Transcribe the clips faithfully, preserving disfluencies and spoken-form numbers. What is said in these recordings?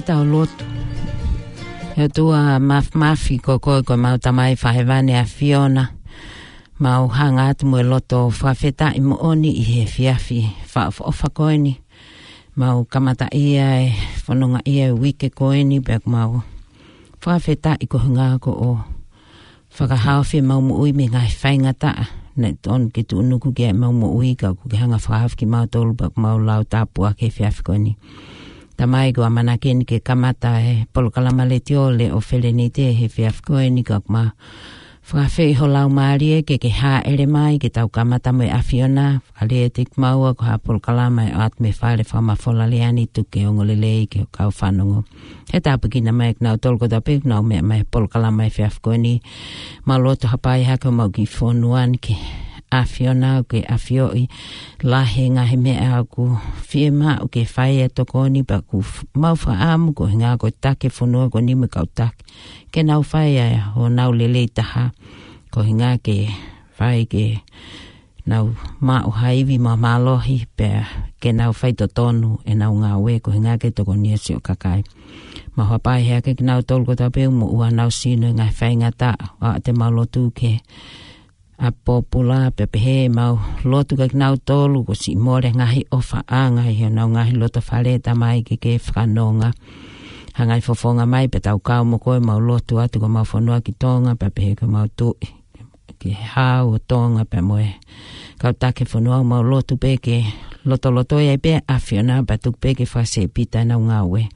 Tau lotu. ʻE ʻOtua Māfimafi, ko koe ko ʻemau Tamai Fakahēvani ʻAfiona. Mau hanga atu mo e loto fakafetaʻi moʻoni ʻi he efiafi fakaʻofoʻofa ko eni. Mau kamataʻia e fononga ʻi he uike ko eni, pea mau fakafetaʻi koeʻuhinga ko hoʻo fakahaofi ʻemau moʻui mei he ngaahi faingataʻa naʻe tonu ke tuʻunuku ki ai ʻemau moʻui, ka kuo ke hanga ʻo fakahaofi kimautolu pea mau lau tāpuaki he efiafi ko eni. Tamai, ko e ʻamanaki eni ke kamata e polokalama letiō Leʻo Felenite he efiafi ko eni, ka mau fakaafeʻi ho Laumālie ke ke hāʻele mai ke tau kamata mo e ʻAfiona, fakalea ʻiate kimaua ko ha polokalama ʻe ʻoatu mei he fale fakamafola lea ni, tuku ke ongo lelei ki he kau fanongo. Ke tāpuekina mai kinautolu kotoa pē ʻoku nau meʻa mai he polokalama he efiafi ko eni. Mau lotu hapai hake homau kiʻi fonua ni ki he ʻAfiona, ke ʻafioʻi lahi e ngaahi meʻa ʻoku fiemaʻu ke fai ʻe he tokoni, pea ʻoku f-, mau fakaʻamu koeʻuhinga ko e taki e fonua ko eni mo e kau taki ke nau fai ʻa honau lelei taha, koeʻuhinga ke fai ke nau maʻu ha ivi mo e mālohi, pea ke nau fai totonu ʻenau ngāue koeʻuhinga ke tokoni ʻa e siʻi kakai. Mau hapai hake kinautolu kotoa pē ʻoku moʻua honau sino he ngaahi faingataʻa, ʻoatu ʻemau lotu ki he ʻapi pōpula, pea pehē ʻemau lotu kia kinautolu kuo siʻi mole e ngaahi ʻofaʻanga ʻi honau ngaahi lotofale, Tamai, ke ke fakanonga. Hanga ʻo fofonga mai pea tau kau mo koe. Mau lotu atu ki homau fonua ki Tonga, pea pehē ki homau Tuʻi, ki he Hau ʻo Tonga pea mo e kau taki e fonua. Mau lotu pē ke lotolotoi ai pē ʻa e ʻAfiona, pea tuku pē ke fakaseʻi pita ʻenau ngāue.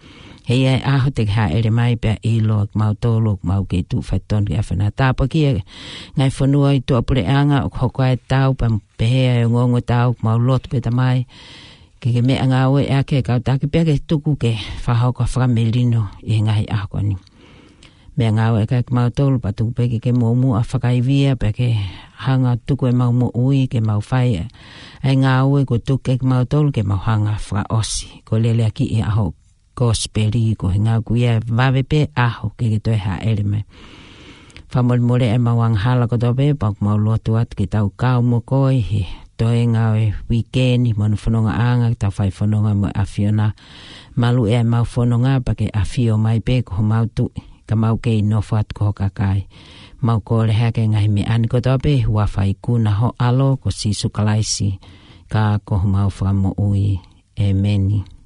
He ʻe ʻi ai e ʻaho te ke hāʻele mai pea ʻilo ʻa kimautolu ʻoku mau kei tuʻu faitotonu ki he ʻAfiona. Tāpuakiʻi e ngaahi fonua ʻi tuʻapuleʻanga ʻoku hoko ai e tau, pea pehē ʻa e ongoongo tau, mau lotu pē, Tamai, ke ke meʻangāueʻaki e kau taki pea ke tuku ke fakahoko ha fakamelino ʻi he ngaahi ʻaho ko eni. Meʻangāueʻaki kimautolu, pea tuku pē ke ke muʻomuʻa fakaivia, pea ke hanga ʻo tuku ʻemau moʻui ke mau fai ʻa e ngāue kuo tuku kiate kimautolu ke mau hanga ʻo fakaʻosi. Ko e leleakiʻi ʻaho Kosipeli, koeʻuhinga ʻoku ʻi ai e vave pē ʻaho ke ke toe hāʻele mai. Fakamolemole ʻemau angahala kotoa pē, pea ʻoku mau lotu atu ke tau kau mo koe he toenga ʻo e uike ni mo hono fonongaʻanga, ke tau fai fononga mo e ʻAfiona. Maluʻi ʻemau fononga pea ke ʻafio mai pē ko homau Tuʻi, ka mau kei nofo atu ko ho kakai. Mau kole hake e ngaahi meʻa ni kotoa pē he huafa ikuna ho ʻAlo ko Sīsū Kalaisi, ka ko homau Fakamoʻui. ʻEmeni.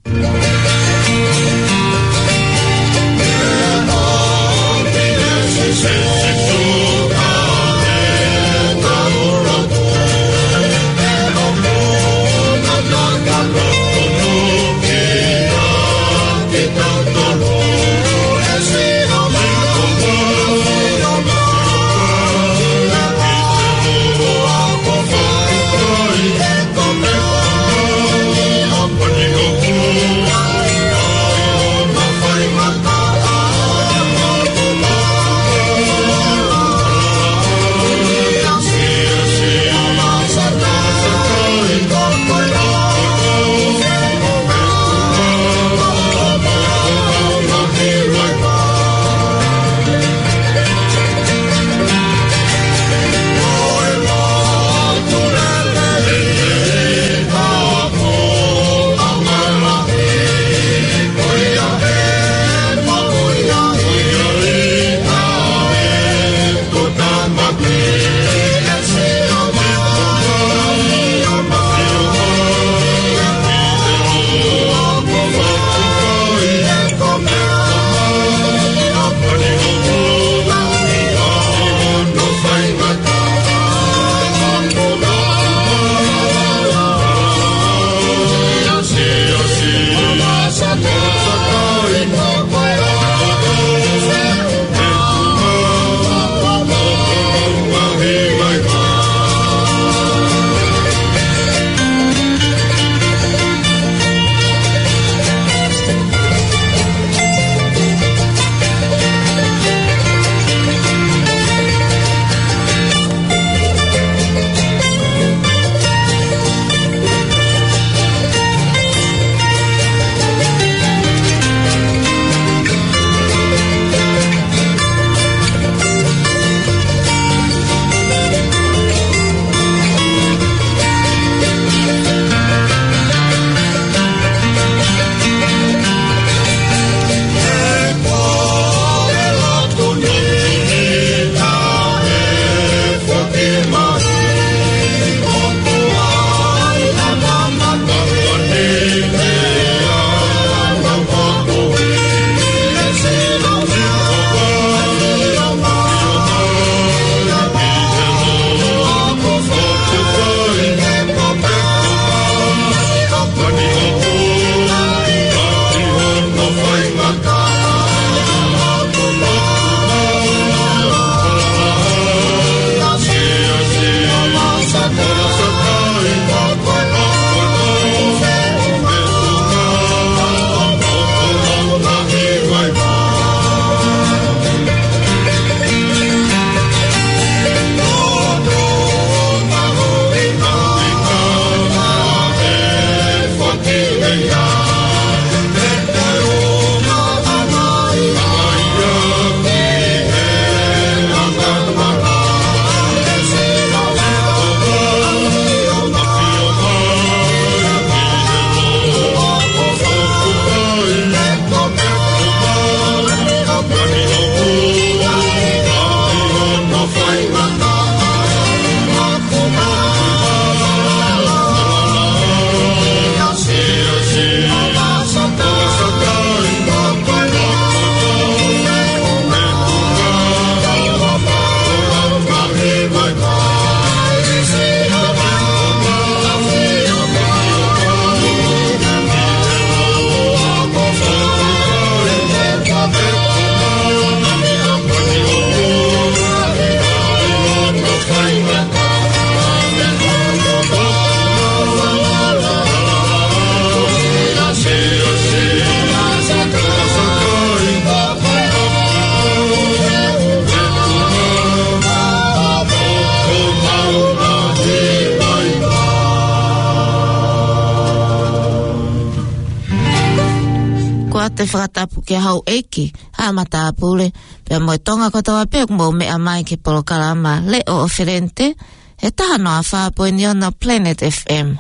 te fakatapu ki he houʻeiki, haʻa matāpule, pea mo e Tonga kotoa pē ʻoku mou meʻa mai ki he polokalama Leʻo ʻo Felente, he taha noa fā poini ono Planet F M.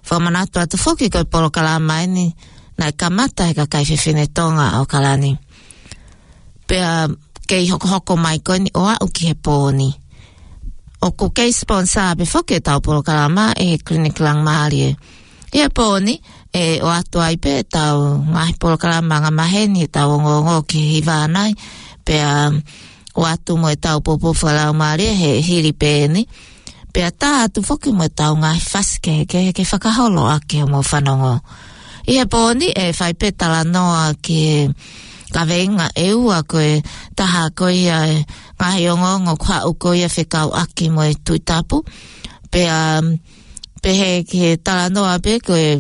Fakamanatu atu foki ko e polokalama eni naʻe kamata he kakai fefine Tonga ʻo ʻAokalani. Pea kei hokohoko mai ko eni ʻo aʻu ki he pō ni. ʻOku kei sponsor pē foki ʻetau polokalama ʻe he Clinic Langmālie. ʻI he pō ni, ʻe ʻoatu ai pē ʻetau ngaahi polokalama angamaheni, ʻetau ongoongo ki he hiva ʻanai, pea ʻoatu mo ʻetau poupou fakalaumālie he hili pē eni. Pea tā atu foki mo ʻetau ngaahi fasi kehekehe ke fakaholo ʻaki hoʻomou fanongo. ʻI he pō ni ʻe fai pē talanoa ki he kaveinga ʻe ua, ko e taha ko ia e ngaahi ongoongo ʻoku haʻu ko ia fekauʻaki mo e Tuʻi Tapu. Pea, um, pehē ki he talanoa pē ko e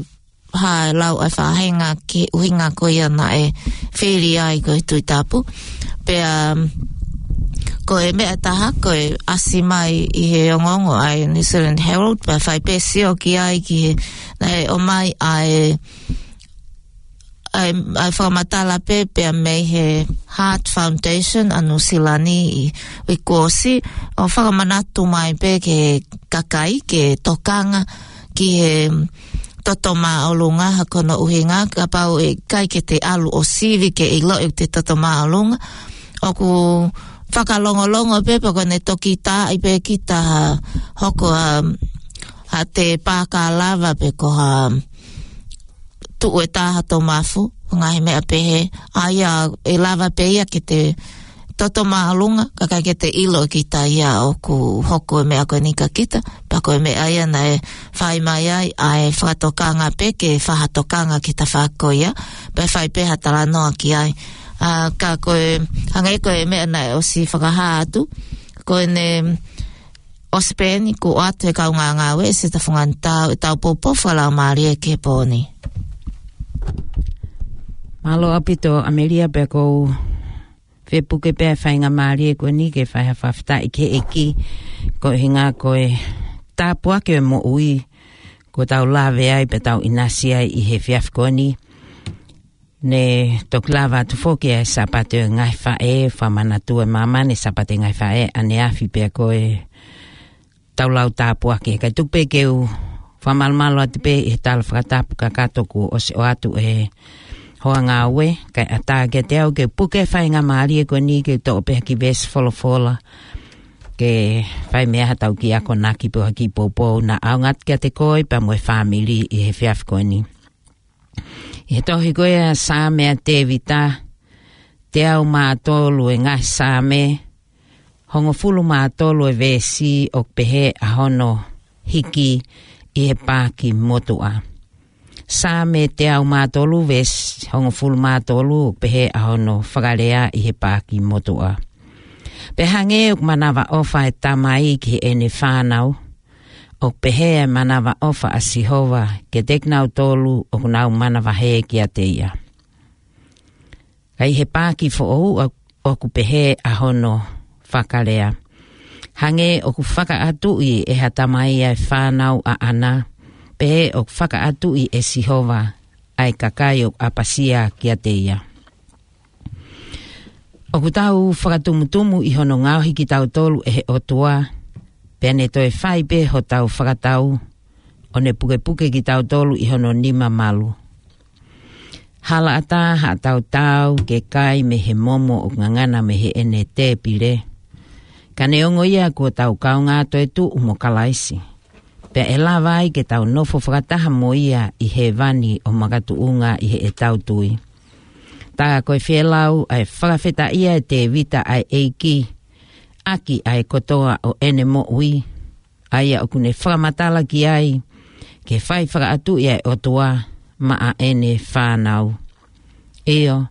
hā e lau ʻa e faʻahinga ki he ʻuhinga ko ia naʻe fili ai ko e Tuʻi Tapu. Pea, um, ko e meʻa ʻe taha, ko e ʻasi mai ʻi he ongoongo ʻa e New Zealand Herald, pea fai pē sio ki ai ki he, naʻe ʻomai ʻa e, ʻa e, ʻa e fakamatala pē pea mei he Heart Foundation ʻa Nuʻu Sila ni ʻi, ʻi kuo ʻosi, ʻo fakamanatu mai pē ki he kakai ke tokanga ki he toto māʻolunga, ha ko hono ʻuhinga, kapau ʻe ʻikai ke te ʻalu ʻo sivi ke ʻiloʻi ʻoku te toto māʻolunga. ʻOku fakalongolongo pē, pea ko ʻene toki taaʻi pē kita ha hoko ha, ha tēpā kalava pe ko ha tuʻu ʻe taha tomafu, ngaahi meʻa pehē, ʻa ia ʻe lava pē ia ke te toto māʻolunga, ka ʻikai ke te ʻilo kita ia ʻoku hoko e meʻa ko eni kia kita, pea ko e meʻa ia naʻe fai mai ai ʻa e fakatokanga pē ke fai ha tokanga ki he tafaʻaki ko ia, pea fai pē ha talanoa ki ai. ʻA, ka ko e, hangē ko e meʻa naʻe ʻosi fakahā atu, ko ʻene ʻosi pē eni kuo ʻoatu he kaungā ngāue ʻe Seta Funganitau ʻetau poupou fakalaumālie ki he pō ni. Mālō ʻaupito ʻAmelia, pea ʻoku ou fie puke pē ʻa e faingamālie ko eni ke fai ha fakafetaʻi ki he ʻEiki, ko e ʻuhinga ko e tāpuaki ʻo e moʻui kuo tau lave ai pea tau ʻinasi ai ʻi he efiafi ko eni. Ne toki lava atu foki ʻa e Sāpate ʻo e Ngaahi Faʻē, fakamanatu ʻe māmani Sāpate Ngaahi Faʻē ʻaneafi, pea ko e tau lau tāpuaki. Kae tuku pē ke u fakamalumalu atu pē ʻi he tala fakatapu kakato kuo ʻosi ʻoatu ʻe he hoa ngāue, kae ʻatā kiate au ke puke faingamālie ko eni ke toʻo pē ha kiʻi veesi folofola, ke fai mei ai haʻatau kiʻi akonaki pe ha kiʻi poupou, naʻa ʻaonga atu kiate koe pea mo e fāmili ʻi he efiafi ko eni. ʻI he tohi ko ia ʻa Saame ʻa Tēvita, teau mā tolu e ngaahi Saame, hongofulu mā tolu e veesi ʻoku pehē ʻa hono hiki ʻi he paaki motuʻa. Saame teau mā tolu veesi hongofulu mā tolu ʻoku pehē ʻa hono fakalea ʻi he paaki motuʻa. Pea hangē ʻoku manavaʻofa e tamai ki heʻene fānau, ʻoku pehē ʻa e manavaʻofa ʻa Sihova kiate kinautolu ʻoku nau manavahē kiate ia. Ka ʻi he paaki foʻou ʻo-, ʻoku pehē ʻa hono fakalea. Hangē ʻoku fakaʻatuʻi ʻe ha tamai ʻa e fānau ʻaʻana, pehē ʻoku fakaʻatuʻi ʻe Sihova ʻa e kakai ʻoku ʻapasia kiate ia. ʻOku tau fakatumutumu ʻi hono ngaohi kitautolu ʻe he ʻOtua, pea ne toe fai pē hotau fakatau, ʻo ne pukepuke kitautolu ʻi hono nima malu. Halaʻatā haʻatau taau ke kai mei he momo ʻoku ngangana mei heʻene tēpile. Ka neongo ia kuo tau kaungā toetuʻu mo Kalaisi, pea ʻe lava ai ke tau nofo fakataha mo ia ʻi hēvani ʻo makatuʻunga ʻi heʻetau tui. Tā ko e fielau ʻa e fakafetaʻia ʻe Tēvita ʻa e ʻEiki ʻaki ʻa e kotoa ʻo ʻene moʻui, ʻa ia ʻoku ne fakamatala ki ai ke fai fakaʻatuʻi ʻa e ʻOtua maʻa ʻene fānau. ʻIo,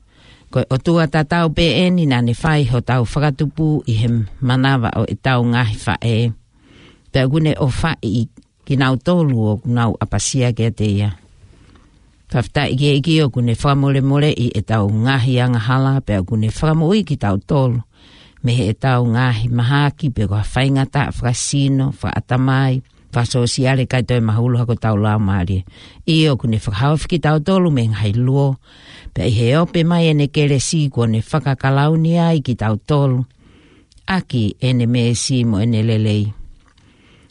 ko e ʻOtua tatau pē eni naʻa ne fai hotau fakatupu ʻi he manava ʻo ʻetau ngaahi faʻē. Pea ʻoku ne ʻofaʻi kinautolu ʻoku nau ʻapasia kiate ia. Fakafetaʻi ki he ʻEiki ʻoku ne fakamolemoleʻi ʻetau ngaahi angahala, pea ʻoku ne fakamoʻui kitautolu mei heʻetau ngaahi mahaki pe ko ha faingataʻa fakasino, fakaʻatamai, fakasōsiale, ʻikai toe mahulu hake hotau laumālie. ʻIo, ʻoku ne fakahaofi kitautolu mei he ngaahi luo, pea ʻi he ope mai ʻene kelesi kuo ne fakakalauni ai kitautolu ʻaki ʻene meesi mo ʻene lelei.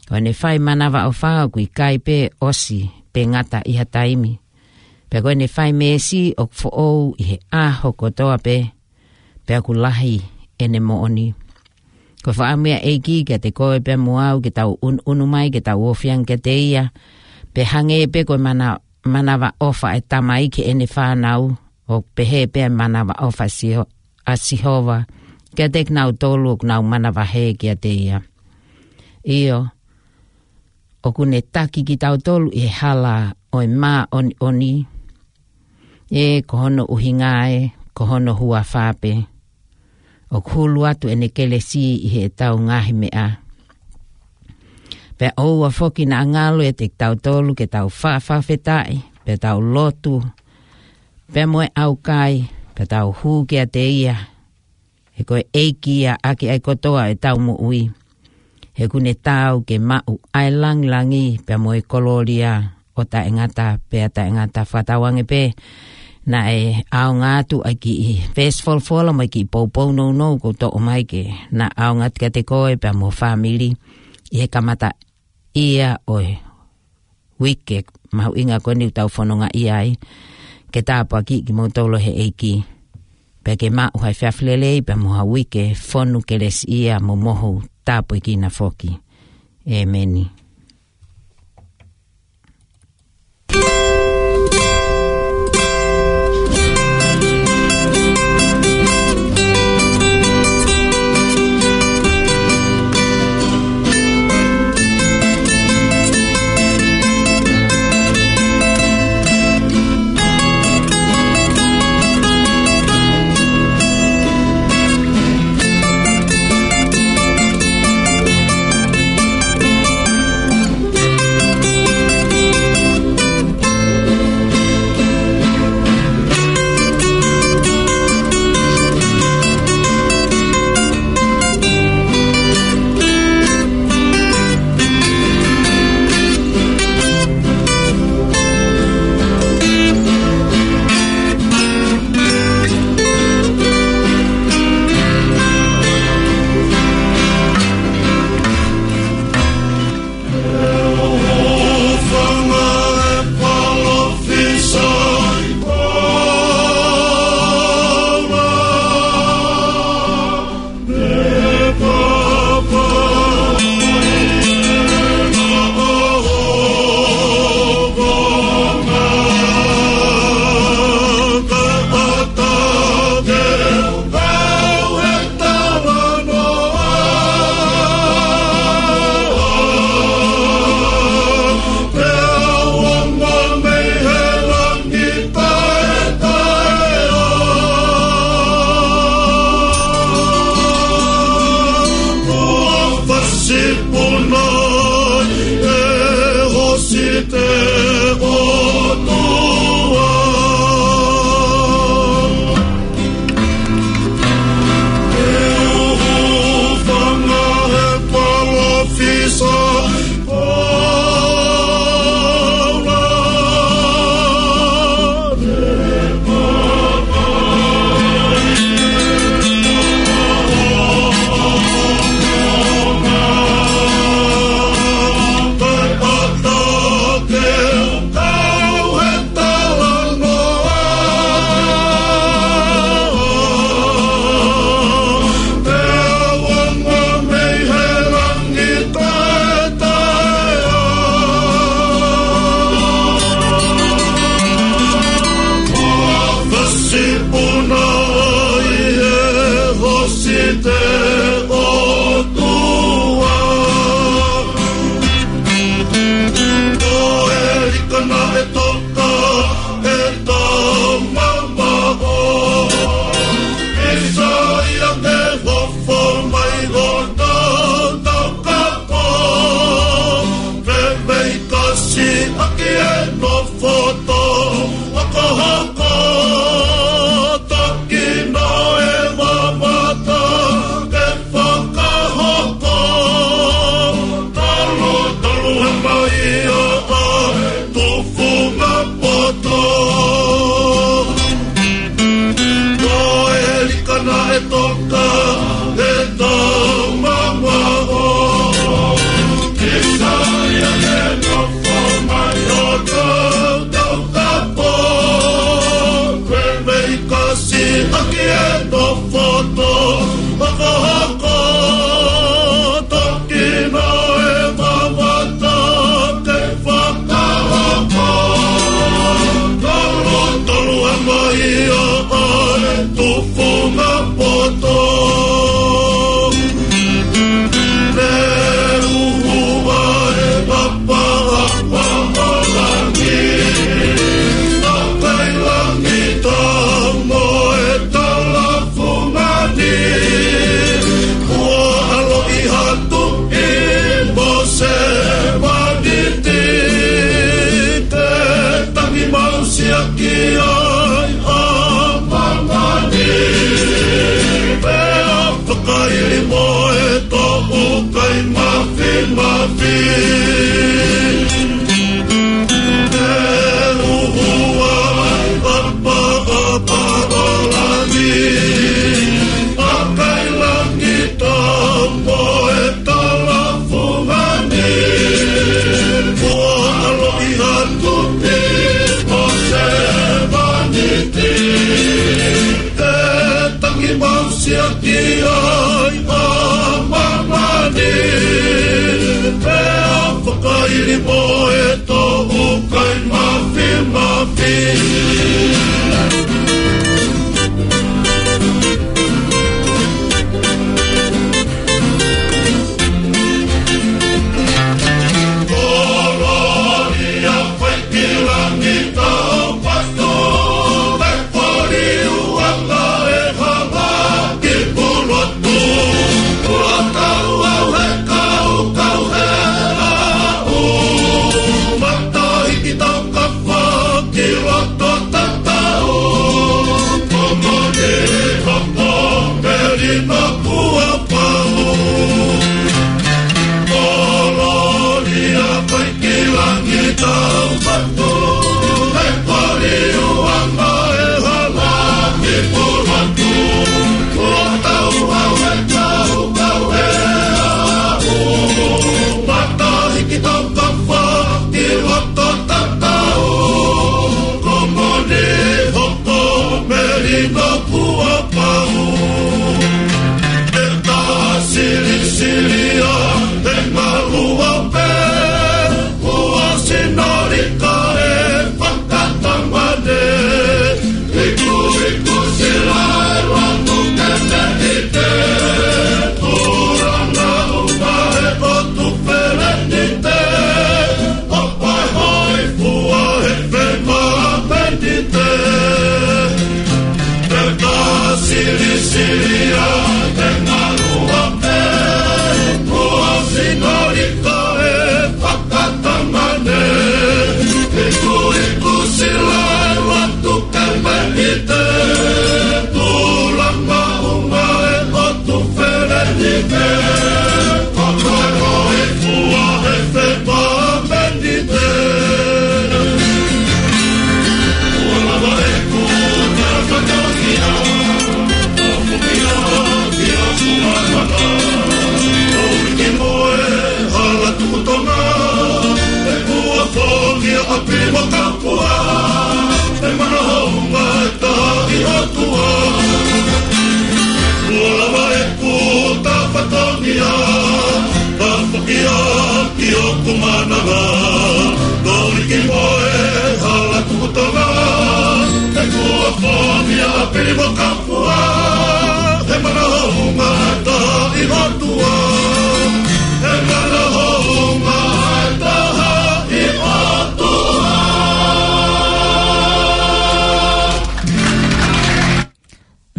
Ko ʻene fai manavaʻofa ʻoku ʻikai pē ʻosi pe ngata ʻi ha taimi. Pea ko ʻene fai meesi ʻoku foʻou ʻi he ʻaho kotoa pē, pea ʻoku lahi ʻene moʻoni. Ko e fakaʻamu ia ʻEiki kiate koe pea mo au ke tau ʻunuʻunu mai, ke tau ofi ange kiate ia, pea hangē pē ko e mana-, manavaʻofa ʻa e tamai ki heʻene fānau, ʻoku pehē pē ʻa e manavaʻofa ʻa Siho-, ʻa Sihova kiate kinautolu ʻoku nau manavahē kiate ia. ʻIo, ʻoku ne taki kitautolu ʻi he hala ʻo e māʻoniʻoni, ʻe ko hono ʻuhinga ē, ko hono huafa pē. ʻOku hulu atu ʻene kelesi ʻi heʻetau ngaahi meʻa. Pea ʻoua foki naʻa ngalo ʻiate kitautolu ke tau fakafetaʻi, pea tau lotu, pea mo e ʻaukai, pea tau hū kiate ia, he ko e ʻEiki ia ʻaki ʻa e kotoa ʻetau moʻui. He ʻoku ne taau ke maʻu ʻa e langilangi pea mo e kolōlia ʻo taʻengata pea taʻengata. Fakatauange pē naʻe ʻaonga atu ʻa e kiʻi veesi folofola mo e kiʻi poupou nounou kuo toʻo mai ke na ʻaonga atu kiate koe pea mo e fāmili ʻi he kamata ia ʻo e uike mahuʻinga ko eni ʻoku tau fononga ai, ke tāpuakiʻi kimoutolu ʻe he ʻEiki. Pea ke maʻu ha efiafi lelei, pea mo ha uike fonu kelesiʻia mo mohu tāpuekina foki. ʻEmeni.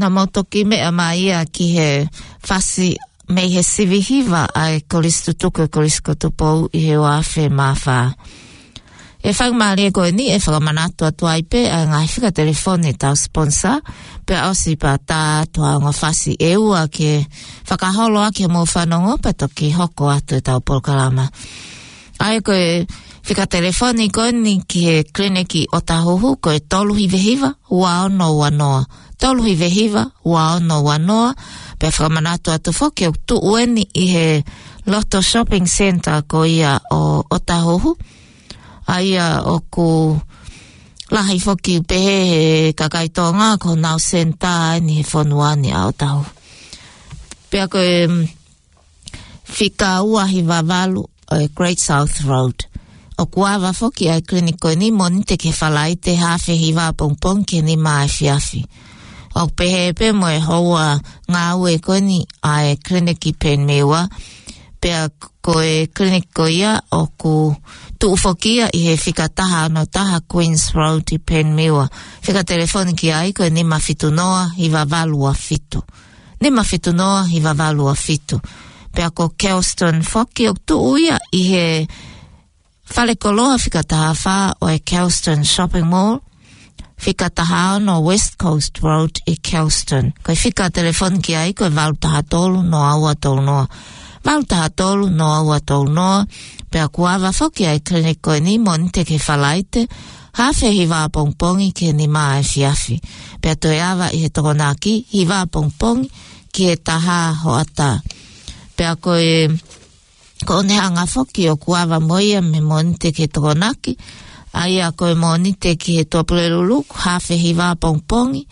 Naʻa mau toki meʻa mai ia ki he fasi mei he sivi hiva ʻa e Kolisi Tutuku ʻa e Kolisi ko Tupou ʻi he ua afe mā fā. ʻI he faingamālie ko eni ʻe fakamanatu atu ai pē ʻa e ngaahi fika telefoni ʻetau sponsor, pea ʻosi pea tā atu ʻa e ongo fasi ʻe ua ke fakaholo ʻaki hoʻomou fanongo pea toki hoko atu ʻetau polokalama. ʻA ia ko e fika telefoni ko eni ki he kiliniki ʻOtahuhu ko e tolu hiva hiva, ua ono ua noa. Tolu hiva hiva, ua ono ua noa. Pea fakamanatu atu foki ʻoku tuʻu eni ʻi he loto shopping centre ko ia ʻo ʻOtahuhu. ʻA ia ʻoku lahi foki pehē he kakai Tonga ko honau senitā eni he fonua ni ʻa ʻOtahuhu. Pea ko e, mm, fika ua hiva valu ʻo e Great South Road. ʻOku ava foki ʻa e kiliniki ko eni Mōnite ki he Falaite, haafe hiva pongipongi ki he nima efiafi. ʻOku pehē pē mo e houa ngāue ko eni ʻa e kiliniki Penmiwa. Pea ko e kiliniki ko ia ʻoku tuʻu foki ia ʻi he fika taha ono taha Queens Road ʻi Penmiwa. Fika telefoni ki ai ko e nima fitu noa hiva valu ua fitu. Nima fitu noa hiva valu ua fitu. Pea ko Kelston foki ʻoku tuʻu ia ʻi he falekoloa fika taha fā ʻo e Kelston Shopping Mall, fika taha ono West Coast Road ʻi Kelston. Ko e fika telefoni ki ai ko e valu taha tolu noa ua tolu noa. Valu taha tolu noa ua tolu noa. Pea ʻoku ava foki ʻa e kiliniki ko eni Mōnite ki he Falaite, haafe hiva pongipongi ki he nima efiafi. Pea toe ava ʻi he Tokonaki, hiva pongipongi ki he taha hoʻatā. Pea ko e, ko ʻene hanga foki ʻoku ava mo ia mei Mōnite ki he Tokonaki, ʻa ia ko e Mōnite ki he Tuʻapulelulu, haafe hiva pongipongi,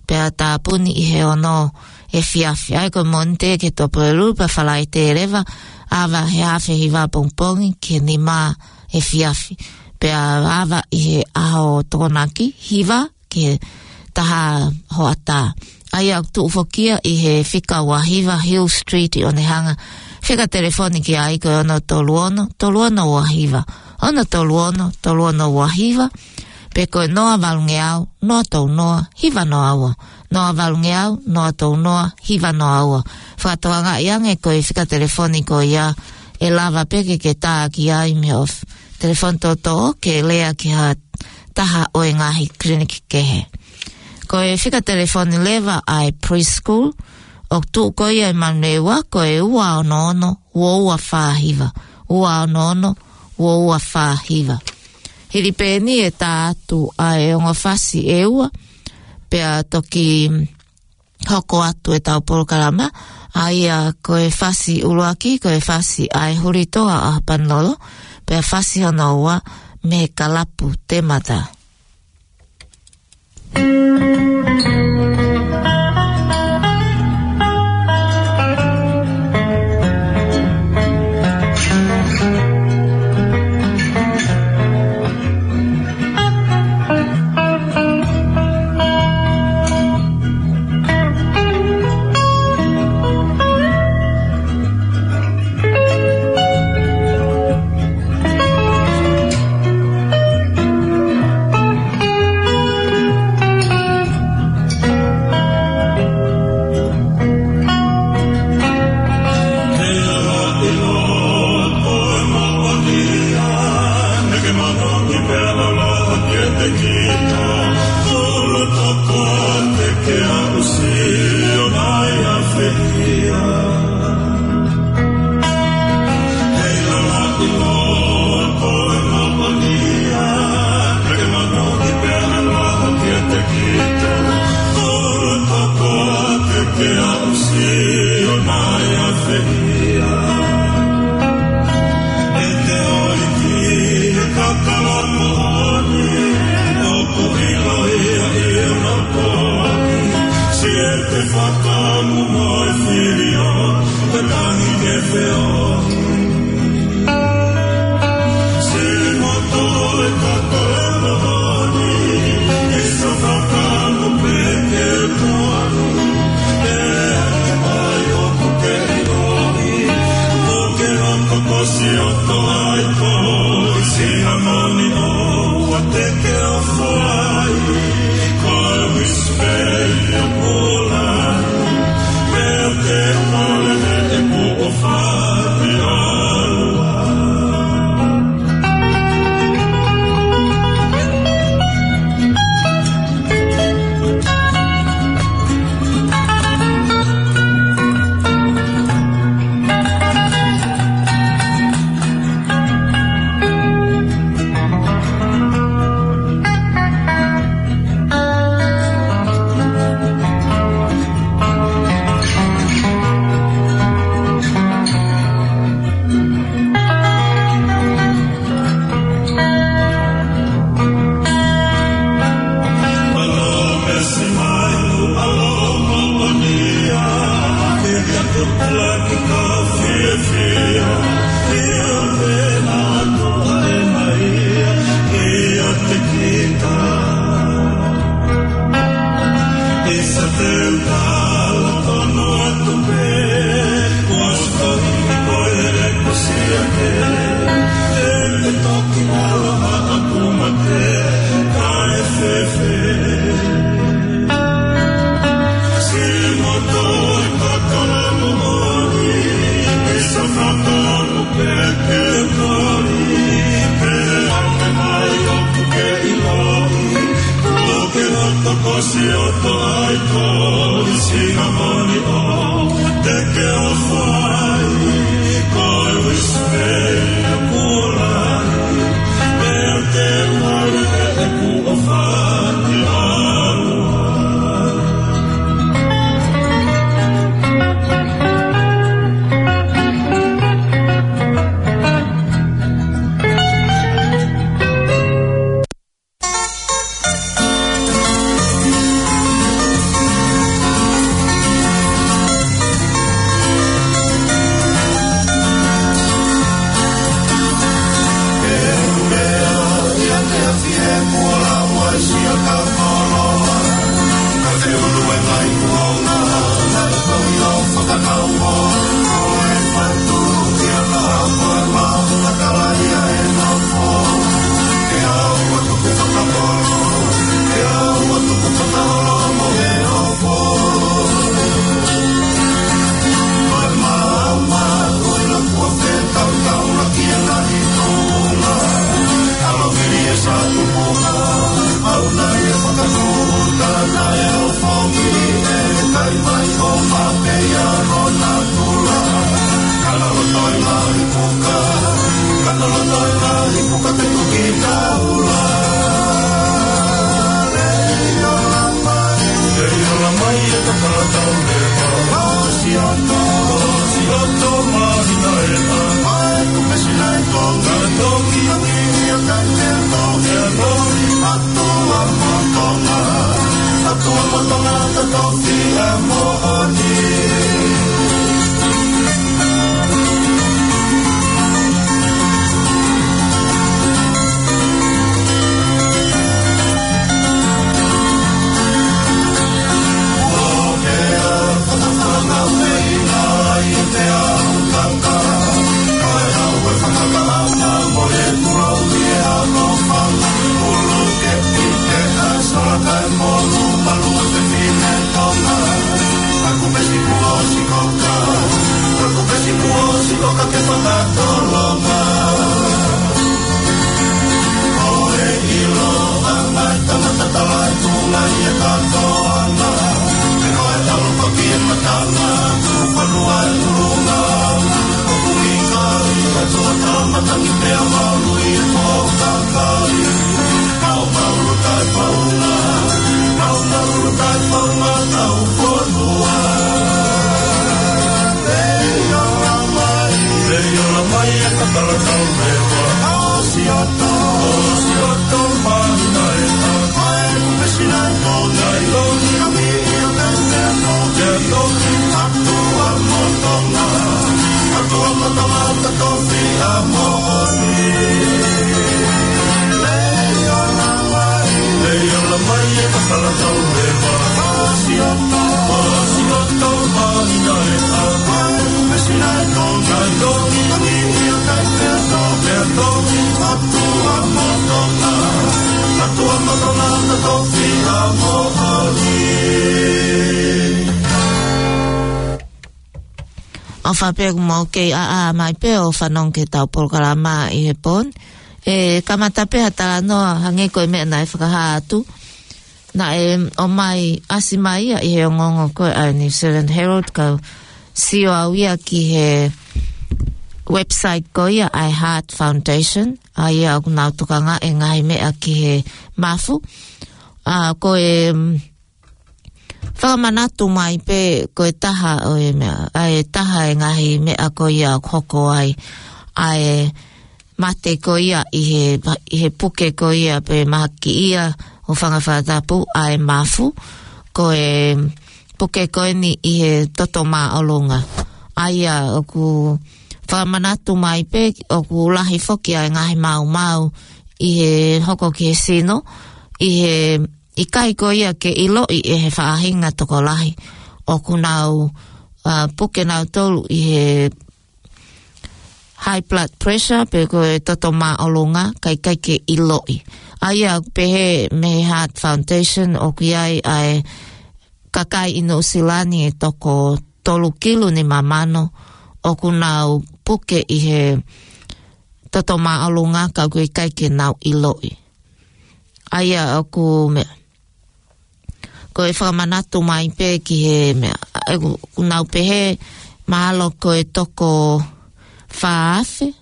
pea tāpuni ʻi he ono efiafi. ʻA ia ko e Mōnite ki he Tuʻapulelulu, pea Falaite leva, ava he haafe hiva pongipongi ki he nima efiafi. pea ava ʻi he ʻaho Tokonaki, hiva ki he taha hoʻatā. ʻA ia ʻoku tuʻu foki ia ʻi he fika ua hiva Hill Street ʻi ʻOnehunga. Fika telefoni ki ai ko e ono tolu ono, tolu ono ua hiva. Ono tolu ono, tolu ono ua hiva. Pe ko e noa valungeau, noa tolu noa, hiva noa ua. Noa valungeau, noa tolu noa, hiva noa ua. Fakatokangaʻi ange ko e fika telefoni ko ia ʻe lava pē ke ke tā ki ai mei he ʻof-, telefoni toʻotoʻo ke lea ki ha taha ʻo e ngaahi kiliniki kehe. Ko e fika telefoni leva ʻa e preschool, ʻoku tuʻu ko ia ʻi Manurewa, ko e ua ono ono, ua ua fā hiva. Ua ono ono, ua ua fā hiva. Hili pē eni ʻe tā atu ʻa e ongo fasi ʻe ua, pea toki hoko atu ʻetau polokalama, ʻa ia ko e fasi ʻuluaki, ko e fasi ʻa e Huli Toa ʻa Hapanolo, pea fasi hono ua mei he Kalapu Temata. ʻOfa pē kuo mou kei ʻaʻa mai pē ʻo fanongo ki heʻetau polokalama ʻi he pō ni. ʻE kamata pē ha talanoa hangē ko e meʻa naʻe fakahā atu. Naʻe ʻomai, ʻasi mai ia ʻi he ongoongo ko ē ʻa e New Zealand Herald, kau sio au ia ki he website ko ia ʻa e Heart Foundation, ʻa ia ʻoku nau tokanga e ngaahi meʻa ki he mafu. ʻA, ko e, mm, fakamanatu mai pē ko e taha ʻo e meʻa, ʻa e taha e ngaahi meʻa ko ia ʻoku hoko ai ʻa e mate ko ia ʻi he, ʻi he puke ko ia pe mahaki ia ʻo fanga fakatapu ʻa e mafu, ko e puke ko eni ʻi he toto māʻolunga. ʻA ia ʻoku fakamanatu mai pē ʻoku lahi foki ʻa e ngaahi maumau ʻi he hoko ki he sino, ʻi he ʻikai ko ia ke ʻiloʻi ʻe he faʻahinga tokolahi. ʻOku nau, ʻa, puke nautolu ʻi he high blood pressure, pe ko e toto māʻolunga, kae ʻikai ke ʻiloʻi. ʻA ia ʻoku pehē mei he Heart Foundation ʻoku ʻi ai ʻa e kakai ʻi Nuʻusila ni ʻe toko tolu kilu nima mano ʻoku nau puke ʻi he toto māʻolunga ka ʻoku ʻikai ke nau ʻiloʻi. ʻA ia ʻoku meʻa, ko e fakamanatu mai pē ki he meʻa, ʻa, ʻoku nau pehē mahalo ko e toko fā afe,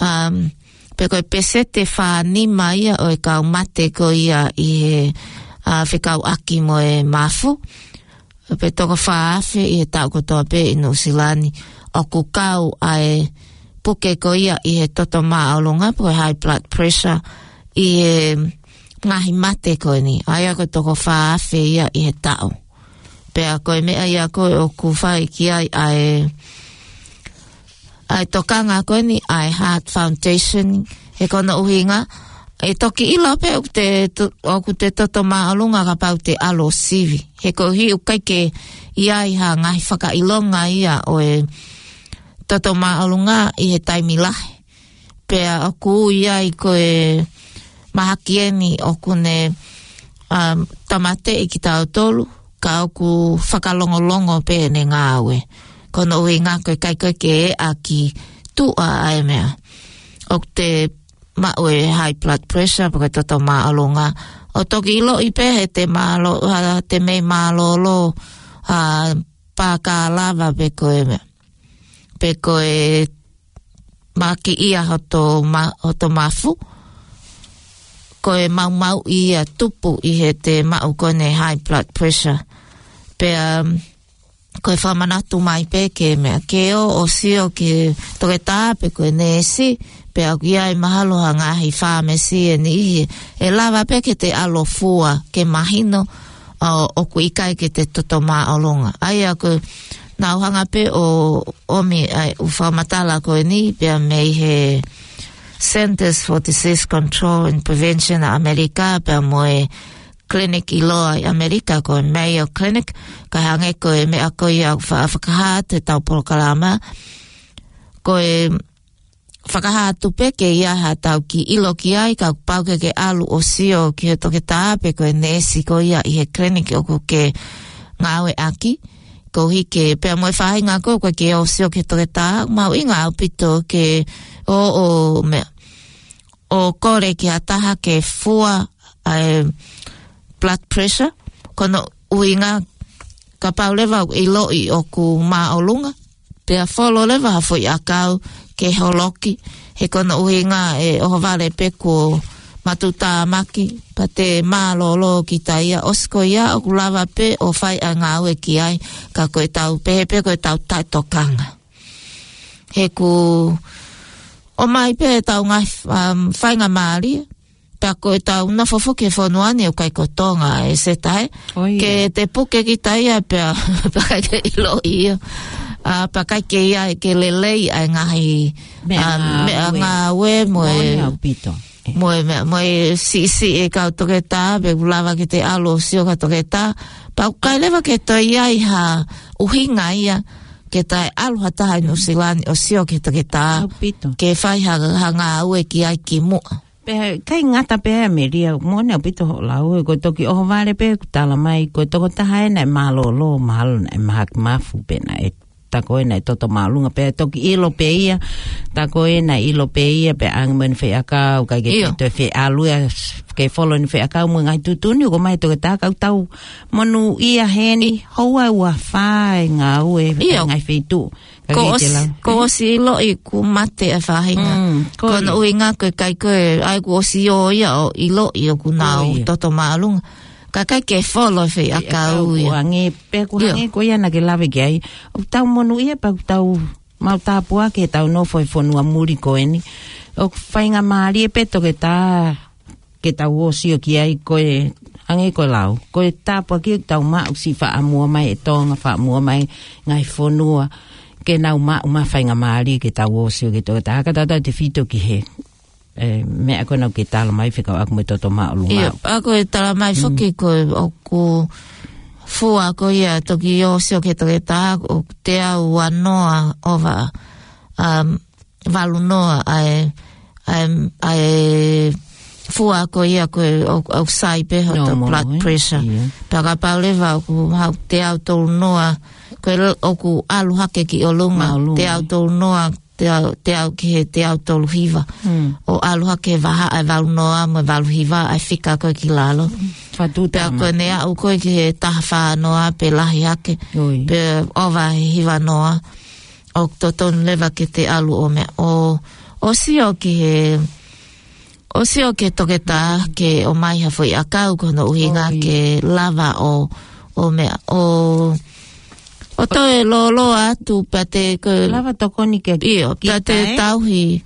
um, pe ko e peseti fā nima ia ʻo e kau mate ko ia ʻi he, ʻa, fekauʻaki mo e mafu. Pe toko fā afe ʻi he taʻu kotoa pē ʻi Nuʻusila ni ʻoku kau ʻa e puke ko ia ʻi he toto māʻolunga, pe ko e high blood pressure, ʻi he ngaahi mate ko eni. ʻA ia ko e toko fā afe ia ʻi he taʻu. Pea ko e meʻa ia ko ē ʻoku fai ki ai ʻa e, ʻa e tokanga ko eni ʻa e Heart Foundation, he ko hono ʻuhinga, ʻe toki ʻilo pē ʻoku te to-, ʻoku te toto māʻolunga kapau te ʻalu ʻo sivi. He koeʻuhi ʻoku ʻikai ke ʻi ai ha ngaahi fakaʻilonga ia ʻo e toto māʻolunga ʻi he taimi lahi. Pea ʻoku ʻi ai ko e mahaki eni ʻoku ne, um, tāmateʻi kitautolu, ka ʻoku fakalongolongo pē ʻene ngāue. Ko hono ʻuhinga ko e ʻikai ko ē ke ʻaki tuʻa ʻa e meʻa. ʻOku te maʻu e high blood pressure, pe ko e toto māʻolunga. ʻO toki ʻiloʻi pē he te mālō, ha, te mei mālōlō, ha, pākālava pe ko e meʻa. Pe ko e makiʻia hoto ma-, hoto mafu. Ko e maumauʻi ia tupu ʻi heʻete maʻu ko eni e high blood pressure. Pea, um, ko e fakamanatu mai pē ke meʻa ke ō ʻo sio ki he toketā pe ko e neesi, pea ʻoku ʻi ai mahalo ha ngaahi fāmesi ʻe niʻihi ʻe lava pē ke te ʻalu ʻo fua ke mahino, ʻo, ʻoku ʻikai ke te toto māʻolunga. ʻA ia ko ʻeku hanga pē ʻo ʻomi ʻa e ʻū fakamatala ko eni pea mei he Centers for Disease Control and Prevention ʻa ʻAmelika, pea mo e clinic ʻiloa ʻi ʻAmelika ko e Mayo Clinic, kae hangē ko e meʻa ko ia ʻoku fa-, fakahā atu ʻetau polokalama. Ko e fakahā atu pē ke ʻi ai haʻatau kiʻi ʻilo ki ai, kapau ke ke ʻalu ʻo sio ki he toketā pe ko e neesi ko ia ʻi he clinic ʻoku ke ngāueʻaki. Koeʻuhi ke, pea mo e faʻahinga ko ē ʻoku ke ō ʻo sio ki he toketā, mahuʻinga ʻaupito ke ō ʻo meʻa, ʻo kole ki ha taha ke fua ʻa e blood pressure, ko hono ʻuhinga kapau leva ʻoku ʻiloʻi ʻoku māʻolunga, pea folo leva ha foʻi ʻakau ke holoki, he ko hono ʻuhinga ʻe ʻohovale pē kuo matutāmaki, pea te mālōlō kita ia, ʻosi ko ia ʻoku lava pē ʻo fai ʻa e ngāue ki ai, ka ko ʻetau pehē pē ko ʻetau taʻetokanga. He ʻoku ʻomai pē ʻetau ngaahi, um, faingamālie, pea ko ʻetau nofo foki he fonua ni ʻoku ʻikai ko Tonga ʻe Seta ē. ʻO ia. Ke te puke kita ia pea, pea ʻikai ke ʻiloʻi ia. ʻA, pea ʻikai ke ʻi ai ke lelei ʻa e ngaahi, meʻa, um, meʻa ngāue. Ngāue mo e, moʻoni ʻaupito. Mo e meʻa, mo e siʻisiʻi e kau toketā, pe ʻoku lava ke te ʻalu ʻo sio ki ha toketā. Pea ʻoku ʻikai leva ke toe ʻi ai ha ʻuhinga ia ke te ʻalu ha taha ʻi Nuʻusila ni ʻo sio ki he toketā. ʻAupito. Ke fai ha, ha ngāue ki ai kimuʻa. Pea ʻikai ngata pē ʻa e meʻa ia, moʻoni ʻaupito hoʻo lau, ko e toki ʻohovale pē ʻoku tala mai, ko e tokotaha ē naʻe mālōlō, mahalo naʻe mahaki mafu pe naʻe, tā ko ē naʻe toto māʻolunga, pea toki ʻilo pē ia, tā ko ē naʻe ʻilo pē ia, pea ʻange mo ʻene faiʻakau, ʻikai ke, ʻio, toe fie ʻalu ia, ke folo ʻene faiʻakau mo e ngaahi tuʻutuʻuni, ʻoku ʻomai ʻe he toketā, ka ʻoku tau monūʻia heni, houa ʻe uofulu mā fā e ngāue, ʻio, ʻa e ngaahi feituʻu. Ka ko e ʻosi, te lau, ko e ʻosi ʻiloʻi kuo mate ʻa e faʻahinga. Mm, ko ia. Ko hono ʻuhinga ko e ʻikai ko e, ʻa ia kuo ʻosi ō ia ʻo ʻiloʻi ʻoku nau, ko ia, toto māʻolunga. Ka ʻikai ke folo e faiʻakau ia. Faiʻakau ia. Hangē, pea ʻoku, ʻio, hangē ko ia naʻa ke lave ki ai. ʻOku tau monūʻia pea ʻoku tau maʻu tāpuaki heʻetau nofo he fonua muli ko eni. ʻOku faingamālie pē toketā ke tau ō ʻo sio ki ai ko e, hangē ko e lau, ko e tāpuaki ʻoku tau maʻu siʻi faʻa muʻa mai ʻe Tonga, faʻa muʻa mai ngaahi fonua, ke nau maʻu mai faingamālie ke tau ō ʻo sio ki he toketā, ka tautautefito ki he, e, meʻa ko ena ʻoku ke tala mai fekauʻaki mo e toto māʻolunga. ʻIo, pea ko e tala mai, mm, foki ko e ʻoku fua ko ia toki ō ʻo sio ki he toketā, ʻoku teau uanoa ʻova, um, valunoa ʻa e, ʻa e, ʻa e fua ko ia ko e ʻoku, ʻoku sai pē hoto normal, blood, eh? Pressure. Ia. Pea kapau leva ʻoku haʻu teau tolunoa, ko e le-, ʻoku ʻalu hake ki ʻolunga, māʻolunga, teau tolunoa, teau, teau ki he teau toluhiva. Hmm. ʻO ʻalu hake vahaʻa e valunoa mo e valuhiva ʻa e fika ko ē ki lalo. Fatu. Pea tama. Ko ʻene aʻu ko ē ki he taha fānoa pe lahi hake. Oi. Pe ʻova he hivanoa. ʻOku totonu leva ke te ʻalu ʻo meʻa, ʻo, ʻo sio ki he, ʻo sio ki he toketā ke ʻomai ha foʻi ʻakau ko hono ʻuhinga, ʻoi, ke lava ʻo, ʻo meʻa, ʻo, ʻo toe lōloa atu pea te ko, lava tokoni ke, ʻio, kita, pea te, eh? Tauhi.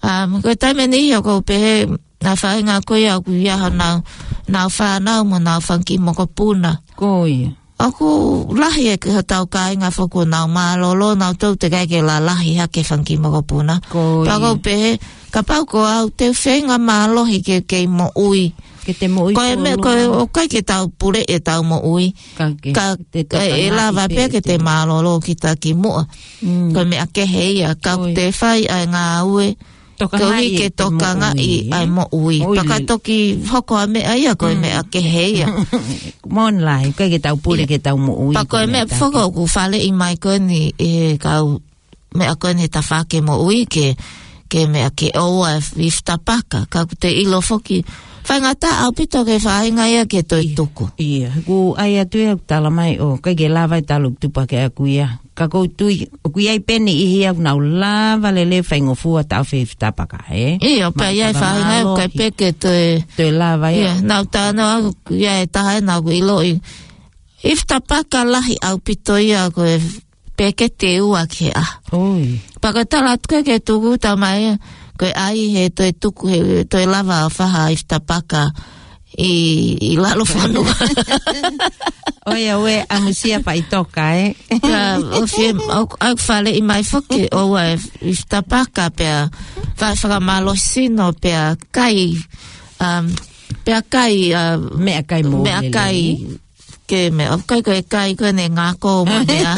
Um, ko e taimi ʻe niʻihi ʻoku ou pehē, ʻa e faʻahinga ko ia ʻoku ʻi ai honau, nau fānau mo nau fanga kiʻi mokopuna. Ko ia. ʻOku lahi ʻa hotau kāinga foki ʻoku nau mālōlō, nau tau teʻeki ai ke lalahi hake fanga kiʻi mokopuna. Ko ia. Pea ʻoku ou pehē, kapau ko au te u feinga mālohi ke, ke moʻui. Ke te moʻui. Ko e meʻa, ko e, ʻoku ʻikai ke tau pule ʻetau moʻui. Ka ke, ka, te, e, e lava pē ke te mālōlō kita kimuʻa. Mm. Ko e meʻa kehe ia, ka, ko ia, te fai ʻa e ngāue. Tokangaʻi, koeʻuhi ke, e, tokangaʻi moʻui, ʻa e, eh? Moʻui. Moʻui. Pea ka toki hoko ha meʻa ia, ko e, mm, meʻa kehe ia. Moʻoni lahi, ʻikai ke tau pule, ia, ke tau moʻui, pea ko e meʻa foki ʻoku faleʻi mai ko eni ʻe he kau meʻa ko eni he tafaʻaki moʻui ke, ke meʻa ke ʻoua ʻe fifitapaka. Ka ʻoku te ʻilo foki, faingataʻa ʻaupito ki he faʻahinga ia ke toe tuku. Ia, ʻoku ʻai atu ia ʻoku tala mai ʻoku ʻikai ke lava e talu tupa ke aku ia. Ka ʻoku ou tui, ʻoku ʻi ai pē niʻihi ia ʻoku nau lava lelei faingofua taʻofi e ifi tapaka, ē? Ia, pea ʻi ai e faʻahinga ʻoku ʻikai pē ke toe, toe lava ia. Ia, nau talanoa ʻoku ʻi ai e taha ʻoku nau ʻiloʻi. Ifi tapaka lahi ʻaupito ia ko e peketi ʻe ua ki he ʻaho. ʻOi. Pea ko e tala atu ke tuku tamai, ko e ʻai he toe tuku he, toe lava ʻo fai ha ifi tapaka ʻi, ʻi lalo fonua. ʻOi, ʻoua ʻe ʻamusia faʻitoka, ē? Ka, ʻoku fie, ʻoku, ʻoku faleʻi mai foki, ʻoua e ifi tapaka pea, fai fakamālohisino pea kai, um, pea kai, uh, meʻakai mo meʻakai lelei. Ke meʻa, ʻoku ʻikai ko e kai ko eni ngako mo e meʻa.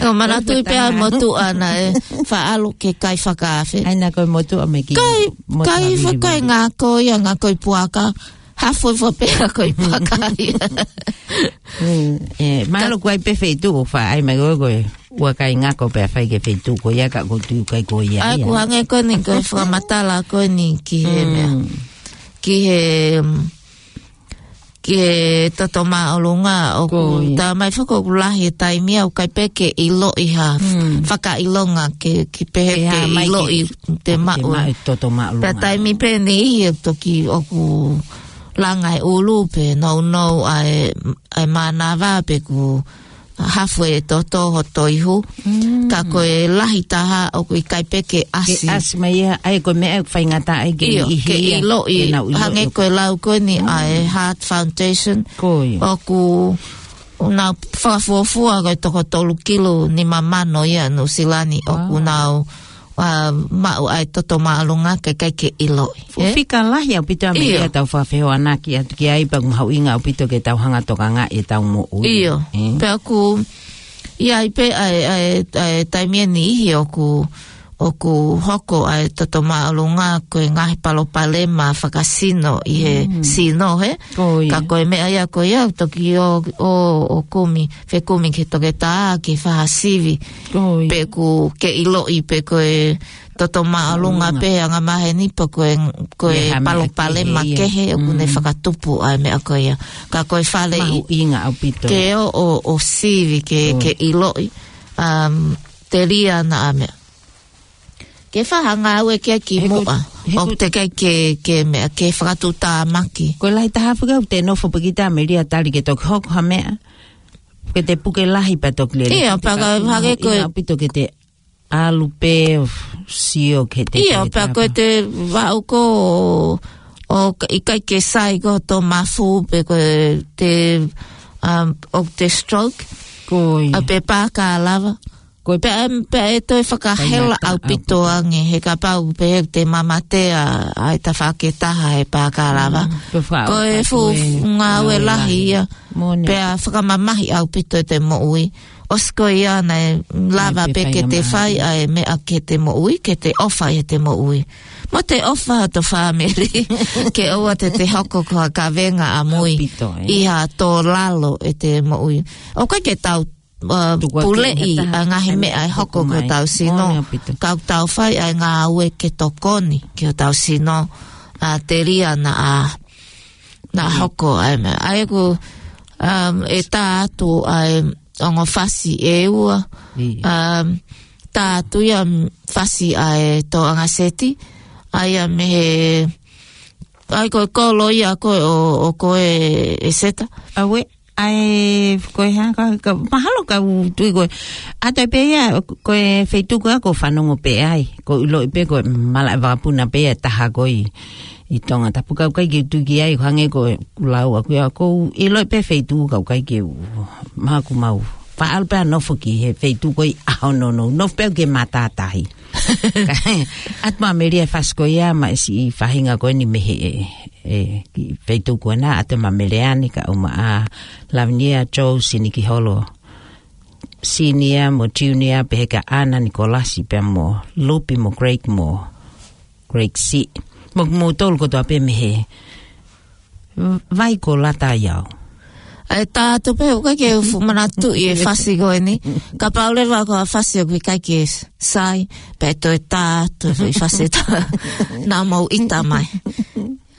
ʻOku ou manatuʻi pea motuʻa naʻe faʻa ʻalu ke kai fakaafe. ʻAi naʻa ko e motuʻa mei ki. Kai, motuʻa kai vili fakae vili. Ngako ia, ngako ʻi puaka. Hafo ʻi fua pea ko ʻi puaka ia. Mm, ē, mahalo ʻoku ʻi ai pē feituʻu ʻoku faʻa ʻai mai ko e, ko e ua kai ngako pea fai ki he feituʻu ko ia ka ʻoku ou tui ʻoku ʻikai ko ia ia. ʻOku hangē ko eni ko e fakamatala ko eni ki he meʻa. Mm. Ki he, mm, ki he toto māʻolunga ʻoku. Ko ia. Tala mai foki ʻoku lahi e taimi ia ʻoku ʻikai pē ke ʻiloʻi ha. Mm. Fakaʻilonga ke, ke pehē ke ʻiloʻi te maʻu. Ke maʻu e toto māʻolunga. Pea taimi pē niʻihi ʻoku toki ʻoku langa e ʻulu pe nounou ʻa e, ʻa e mānava pe ʻoku hafo e toto hoto ihu. Mm. Ka ko e lahi taha ʻoku ʻikai pē ke ʻasi. Ke ʻasi mai ia, ʻa ia ko e meʻa ʻoku faingataʻa ai ke. Io, ʻihi ke ia, ʻiloʻi, ke nau ʻiloʻi. Hangē ko e lau ko eni ʻa e Heart Foundation. Ko ia. ʻOku nau fakafuofua ko e toko tolu kilu nima mano ia Nuʻusila ni. Wow. ʻOku nau, uh, maʻu ʻa e toto māʻolunga ke ʻikai ke ʻiloʻi. Fuʻu fika lahi ʻaupito ʻa e meʻa ia tau fakafehoanaki atu ki ai pea ʻoku mahuʻinga ʻaupito ke tau hanga tokangaʻi ʻetau moʻui. Io. Ē? Pea ʻoku ʻi ai pē ʻa e, ʻa e, ʻa e taimi ʻe niʻihi ʻoku, ʻoku hoko ʻa e toto māʻolunga ko e ngaahi palopalema fakasino ʻi he sino, he? Ko ia. Ka ko e meʻa ia ko ia, toki ō, ō, ō kumi, fekumi ki he toketā, ke fai ha sivi. Ko ia. Pe ʻoku ke ʻiloʻi pe ko e toto māʻolunga pe angamaheni pe ko e, ko e palopalema kehe ʻoku ne fakatupu ʻa e meʻa ko ia. Ka ko e faleʻi. Mahuʻinga ʻaupito. Ke ō, ō, ō sivi ke, ke ʻiloʻi, um, telia naʻa meʻa. Ke fai ha ngāue ke kimuʻa. ʻOku teʻeki ke, ke meʻa, ke fakatuʻutāmaki. Ko e lahi taha fika ʻoku te nofo pē ki ta melia tali ke toki hoko ha meʻa. Ke te puke lahi pea toki lele. Ia, pea ka hake ko e ʻaupito ke te ʻalu pē ʻo sio ke te. Ia, pea ko e te vaʻu ko ʻo, ʻo ka-, ʻikai ke sai ko to mafu pe ko e te, um, ʻo te stroke. Ko ia. ʻA pe pākā lava. Ko e pea, pea ʻe toe fakahela ʻaupito ange, he kapau pē he te mamatea ʻa e tafaʻaki ʻe taha he pākā lava. Ko e fuʻu ngāue lahi ia. Pea fakamamahi ʻaupito e te moʻui. ʻOsi ko ia naʻe lava pē ke te fai ʻa e meʻa ke te moʻui, ke te ʻofa ʻi he te moʻui. Mo te ʻofa ʻa to fāmili, ke ʻoua te te hoko ko ha kavenga ʻamui ʻi ha tō lalo e te moʻui. ʻOku ʻikai ke tau, uh, puleʻi ʻa e ngaahi meʻa ʻe hoko ko hotau sino. Ka ʻoku tau fai ʻa e ngāue ke tokoni ki hotau sino, ʻa telia naʻa, naʻa hoko ʻa e meʻa. ʻA ia ʻoku, um, ʻe tā atu ʻa e ongo fasi ʻe ua. Um, tā atu ia fasi ʻa e tōʻanga seti. ʻA ia mei he, ʻa ia ko e kolo ia ko e ʻo, ʻo ko e ʻe seta. ʻAue, ʻa e ko e hā, ka, ka, mahalo ka u tui ko e. ʻA ia pē ia, ko e feituʻu ko ē ʻoku fanongo pē ai. ʻOku ou ʻiloʻi pē ko e malaʻe vakapuna pē ia ʻe taha ko ē ʻi Tongatapu ka ʻoku ʻikai ke u tui ki ai, ʻoku hangē ko e kulau ʻaku ia, ʻoku ou ʻiloʻi pē feituʻu ka ʻoku ʻikai ke u, mahalo ʻoku mau faʻa ʻalu pē ʻo nofo ki he feituʻu ko ē ʻi ʻaho nounou, nofo pē ʻo maʻu ha tahi. ʻAtu mo Amelia e fasi ko ia, mo e siʻi faʻahinga ko eni mei he, ē, kiʻi feituʻu ko ena, ʻatu mo Meleane kae ʻumaʻā Lavinia, Joe, Sinikiholo Senior mo Junior, pehē kia Ana Nikolasi pea mo Lupi mo Craig mo Craig siʻi. Mo, mo tolu kotoa pē mei he vai ko Lata ʻi au. ʻE tā atu pē, ʻoku ʻikai ke u fuʻu manatuʻi e fasi ko eni. Kapau leva ko ha fasi ʻoku ʻikai ke sai, pea toe tā atu e fasi tā. Naʻa mau ʻita mai.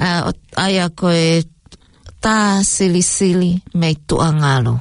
ʻa, ʻa ia ko e Tā Silisili mei Tuʻangalo.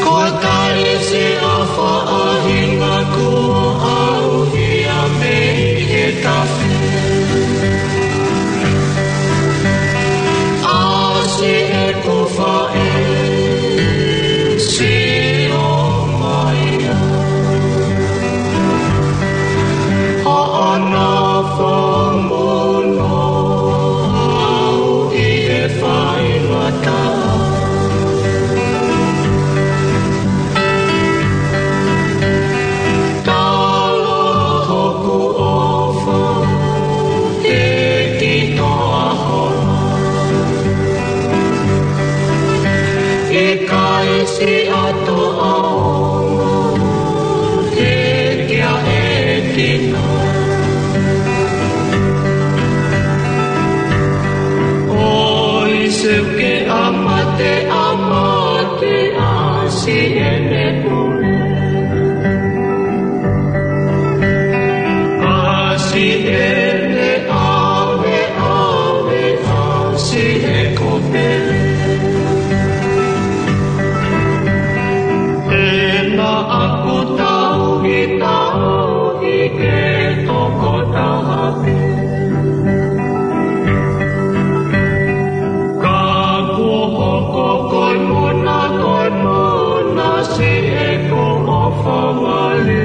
Ko e kalisi ʻa e faʻahinga kuo ʻauhia mei he tafe. ʻAsi ʻeku faʻē, sio mai ā. Hoʻo nofo muʻa au ʻi he faingataʻa. Tala hoku ʻofa, ʻe ki toa hola. ʻIkai siʻato ʻaonga, ʻe kia e kina. ʻOi, seuke ʻa mate, ʻa mate, ʻasi ʻene pule. ʻAsi ʻene ʻave, ʻave, ʻasi ʻeku pele. Pena aku tauhi, tauhi ke tokotaha pē. Ka kuo hoko ko e mona, ko e mona, siʻeku ʻofa vale.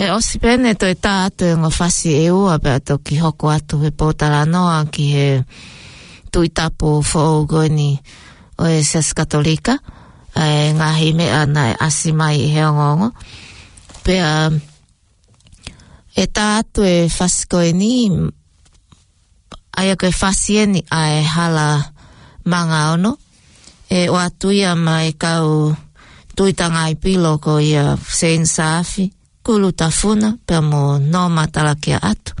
ʻE ʻosi pē ʻene toe tā atu e ongo fasi ʻe ua pea toki hoko atu he pōtalanoa ki he Tuitapu foʻou ko eni ʻo e Siasi Katolika, ʻa e ngaahi meʻa naʻe ʻasi mai he ongoongo. Pea ʻe tā atu e fasi ko eni, ʻa ia ko e fasi eni ʻa e Hala Mangaono, ʻe ʻoatu ia maʻa e kau tuitangāipilo ko ia Seini Saafi, Kulu Tafuna, pea mo Nōma Talakiaʻatu.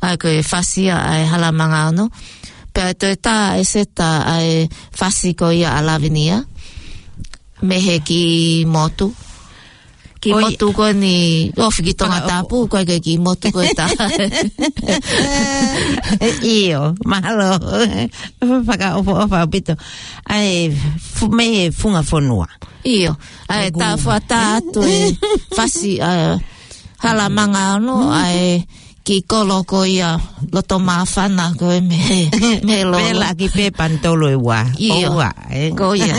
ʻA ia ko e fasi ia ʻa e Hala Mangaono. Pea ʻe toe tā ʻe Seta ʻa e fasi ko ia ʻa Lavinia, mei he kiʻi motu. Kiʻi motu ko eni, ʻofi ki Tongatapu, ko e kiʻi motu ko e tā. ʻIo, mahalo. Fakaʻofoʻofa ʻaupito. ʻA e, fu-, mei he Funga Fonua. ʻIo, ʻa e tā fua tā atu e fasi, ʻa e Hala Mangaono, ʻa e kiʻi kolo ko ia loto māfana ko e mei, mei Lolo. Pela ki pē panitolu ʻe ua. ʻIo. ʻO ua, ē? Ko ia.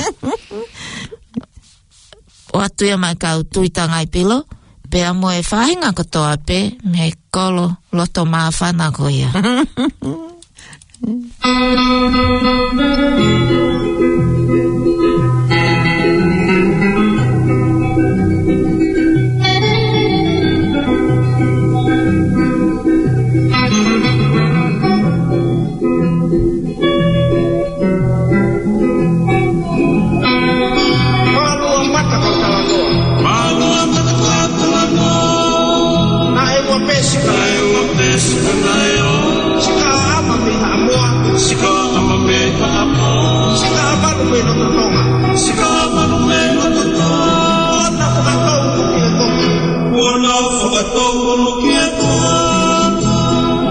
ʻOatu ia maʻa e kau tuitangāipilo, pea mo e faʻahinga kotoa pē mei he kolo loto māfana ko ia. Mālua mata ko talanoa. Mālua mata ko talanoa. Naʻe ua pē sika. Naʻe ua pē sika naʻe ʻo. Sika ʻa ʻAma mei Haʻamoa. Sika ʻa ʻAma mei Haʻamoa. Sika ʻa Manu mei Lototonga. Sika ʻa Manu mei Lototonga. Kuo nau fakatou ʻunu ki he toka. Kuo nau fakatou ʻunu ki he toka.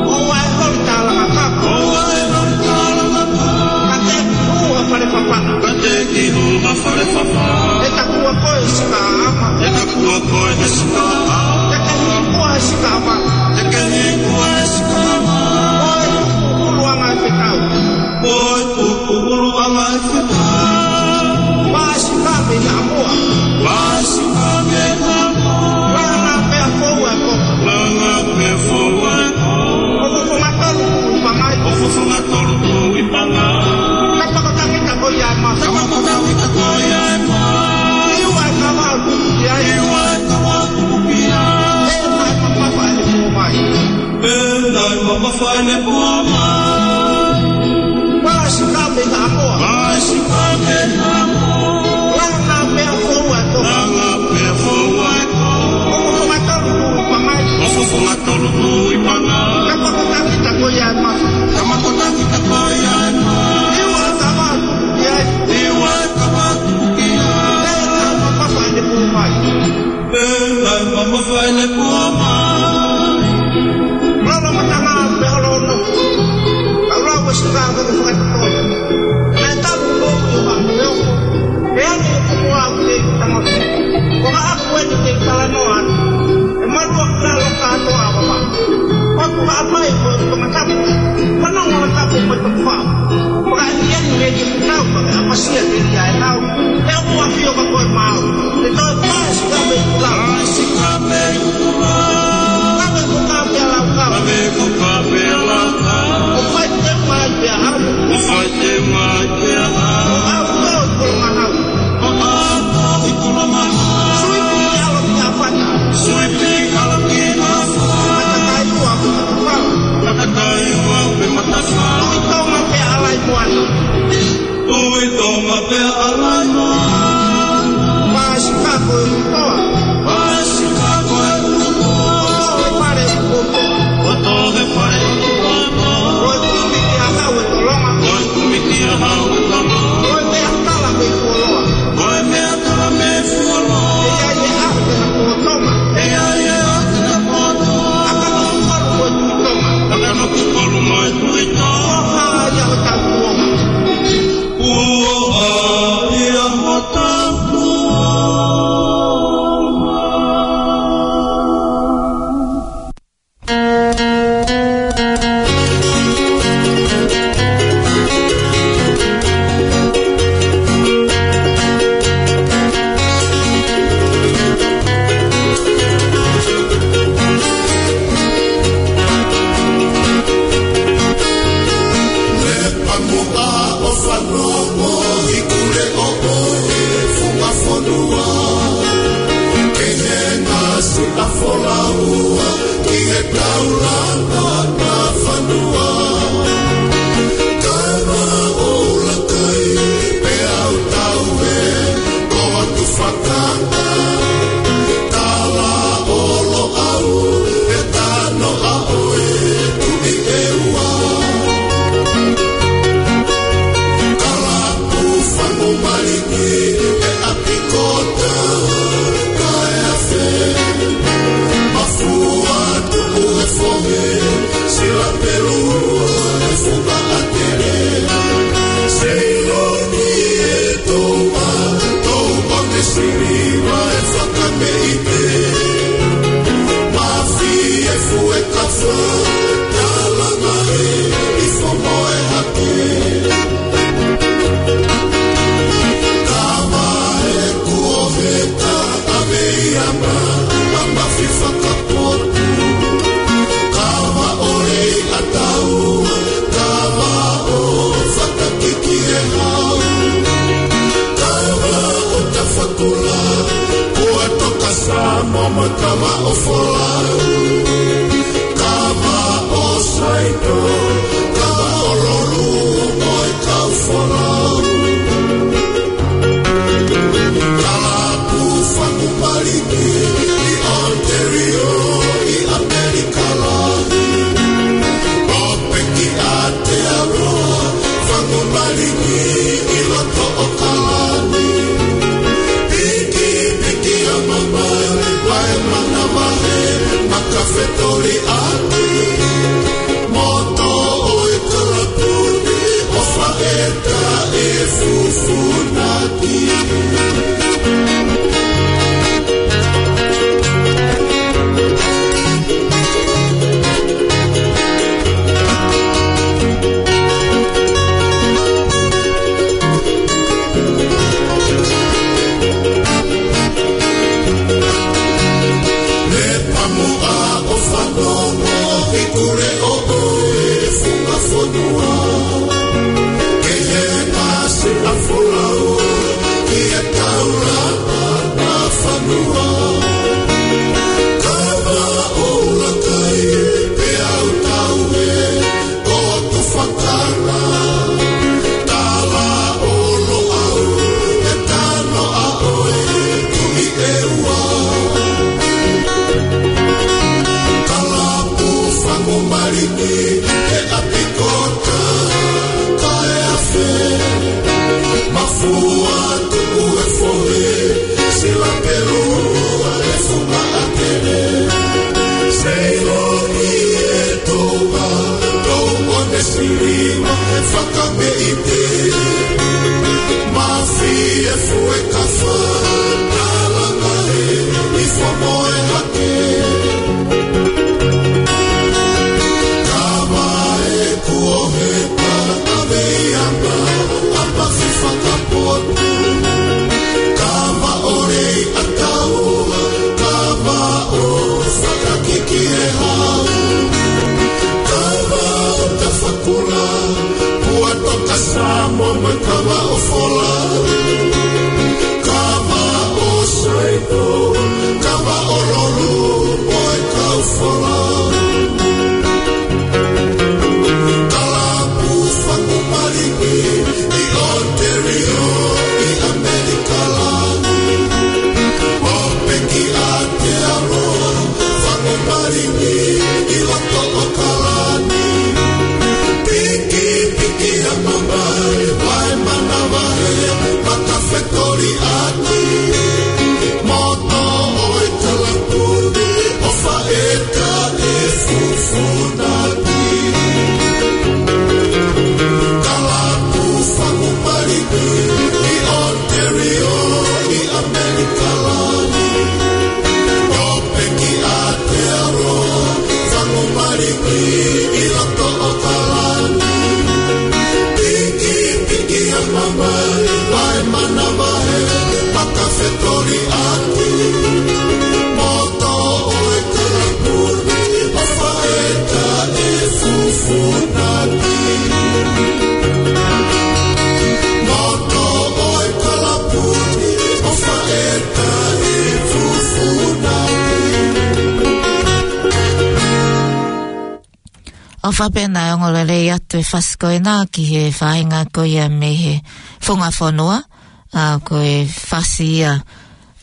ʻOua ʻe holi tālanga kapa. ʻOua ʻe holi tālanga kapa. Ka te ki hū ha fale fafana. Ka te ki hū ha fale fafana. ʻE takua koe he sika ʻa ʻAma. ʻE takua koe he sika ʻa ʻAma. Te ke hikua he sika ʻa ʻAma. Te ke hikua he sika ʻa ʻAma. Ko e tuku ʻuluʻanga ʻe fekau. Ko e tuku ʻuluʻanga ʻe fekau. Pasi ka mei Haʻamoa. Pasi ka mei Haʻamoa. Langa pea foua e koko. Langa pea foua e koko. ʻO Fofongatolu Tuʻi Pangai. ʻO Fofongatolu Tuʻi Pangai. Kapa ko Tangita ko ia ʻe mafi. Kapa ko Tangita ko ia ʻe mafi. ʻI ua ʻe kava ʻo tuku ki ai. ʻI ua ʻe kava ʻo tuku ki ai. ʻE naʻe mamafa ʻene pō mai. ʻE naʻe mamafa ʻene pō mai. Pasi ka mei Haʻamoa. Pasi ka mei Haʻamoa. Langa pea foua e koko. Langa pea foua e koko. ʻO Fofongatolu Tuʻi Pangai. ʻO Fofongatolu Tuʻi Pangai. Kapa ko Tangita ko ia ʻe mafi. Kapa ko Tangita ko ia ʻe mafi. ʻI ua ʻe kava ʻo tuku ki ai. ʻI ua ʻe kava ʻo tuku ki ai. ʻE naʻe mamafa ʻene pō mai. ʻE naʻe mamafa ʻene pō mai. Lolo matanga pe holo ono. Ka ula ua sika ko e fakatotoi. Naʻe talu ko ʻio ha meo. ʻE ani ko mua ʻoku te tama. Ko ka aku eni te talanoa atu. ʻE malua ka lo ka to a papa. Ko ka mai ko Tongatapu. Ko nongo Tongatapu ko Tongatapu. Ko ka ia ni me ki tau ka ʻapasia te ia e nau. ʻE ʻoku ʻafio ka ko e mau. ʻE toe pasi ka mei Kula. Pasi ka mei Kula. Taulanga ʻa e fonua. Kava ʻo Lakai, pea u tau ē, ko atu fakata. Tala ʻo Loʻau, e tano ʻa ʻoe, Tuʻi ʻEua. Kalapu Fangu Malingi, e ʻapi ko Takaeafe. Mafua Tuʻu e Fohe, Sila Pelua e Fuka ʻAtele. Seiloni e Touʻa, Touʻone Siliva e Fakameʻite. Mafi e Fuekafa, Talanga e, ʻi Fomoe Hake. Kava e Kuoheka, ʻa Veiama, ʻa Mafi Fakapotu. Kava ʻo Leiataua, kava ʻo Fakakikiehau. Kava ʻo Tafakula, Puatoka Samoa mo e kava ʻo Folau. Kava ʻo Saito, kava ʻo Lolu, mo e kau Folau. Kalapu Fangu Malingi, ʻi Ontario, ʻi ʻAmelika Lahi. ʻO Peki Aotearoa, Fangu Malingi, ʻi loto ʻo Kalani. Pikipiki ʻa Mamae, Vae Manavahē, Makafetoli ʻAki. Moto ʻo e kalapu ni, ʻo Faʻeta e Fufunaki. Lepamuʻa ʻo Fanongo, ʻi Kuleoʻo e Funga Fonua. Kehe Masi ʻa Folau, ʻi he taulanga ʻa e fonua. Kava ʻo Lakai, pea u tau ē, ko atu fakata. Tala ʻo Loʻau, e tano ʻa ʻoe, Tuʻi ʻEua. Kalapu Fangu Malingi, e ʻapi ko Takaeafe. Mafua Tuʻu e Fohe, Sila Pelua e Fuka ʻAtele. Seiloni e Touʻa, Touʻone Siliva e Fakameʻite. Mafi e Fuekafa, Talanga e, ʻi Fomoe Hake. Kava e Kuoheka, ʻa Veiama, ʻa Mafi Fakapotu. Kava ʻo Leiataua, kava ʻo Fakakikiehau. Kava ʻo Tafakula, Puatoka Samoa mo e kava ʻo Folau. Kava ʻo Saito, kava ʻo Lolu, ʻOfa pē naʻe ongo lelei atu e fasi ko ena ki he faʻahinga ko ia mei he funga fonua, ʻa ko e fasi ia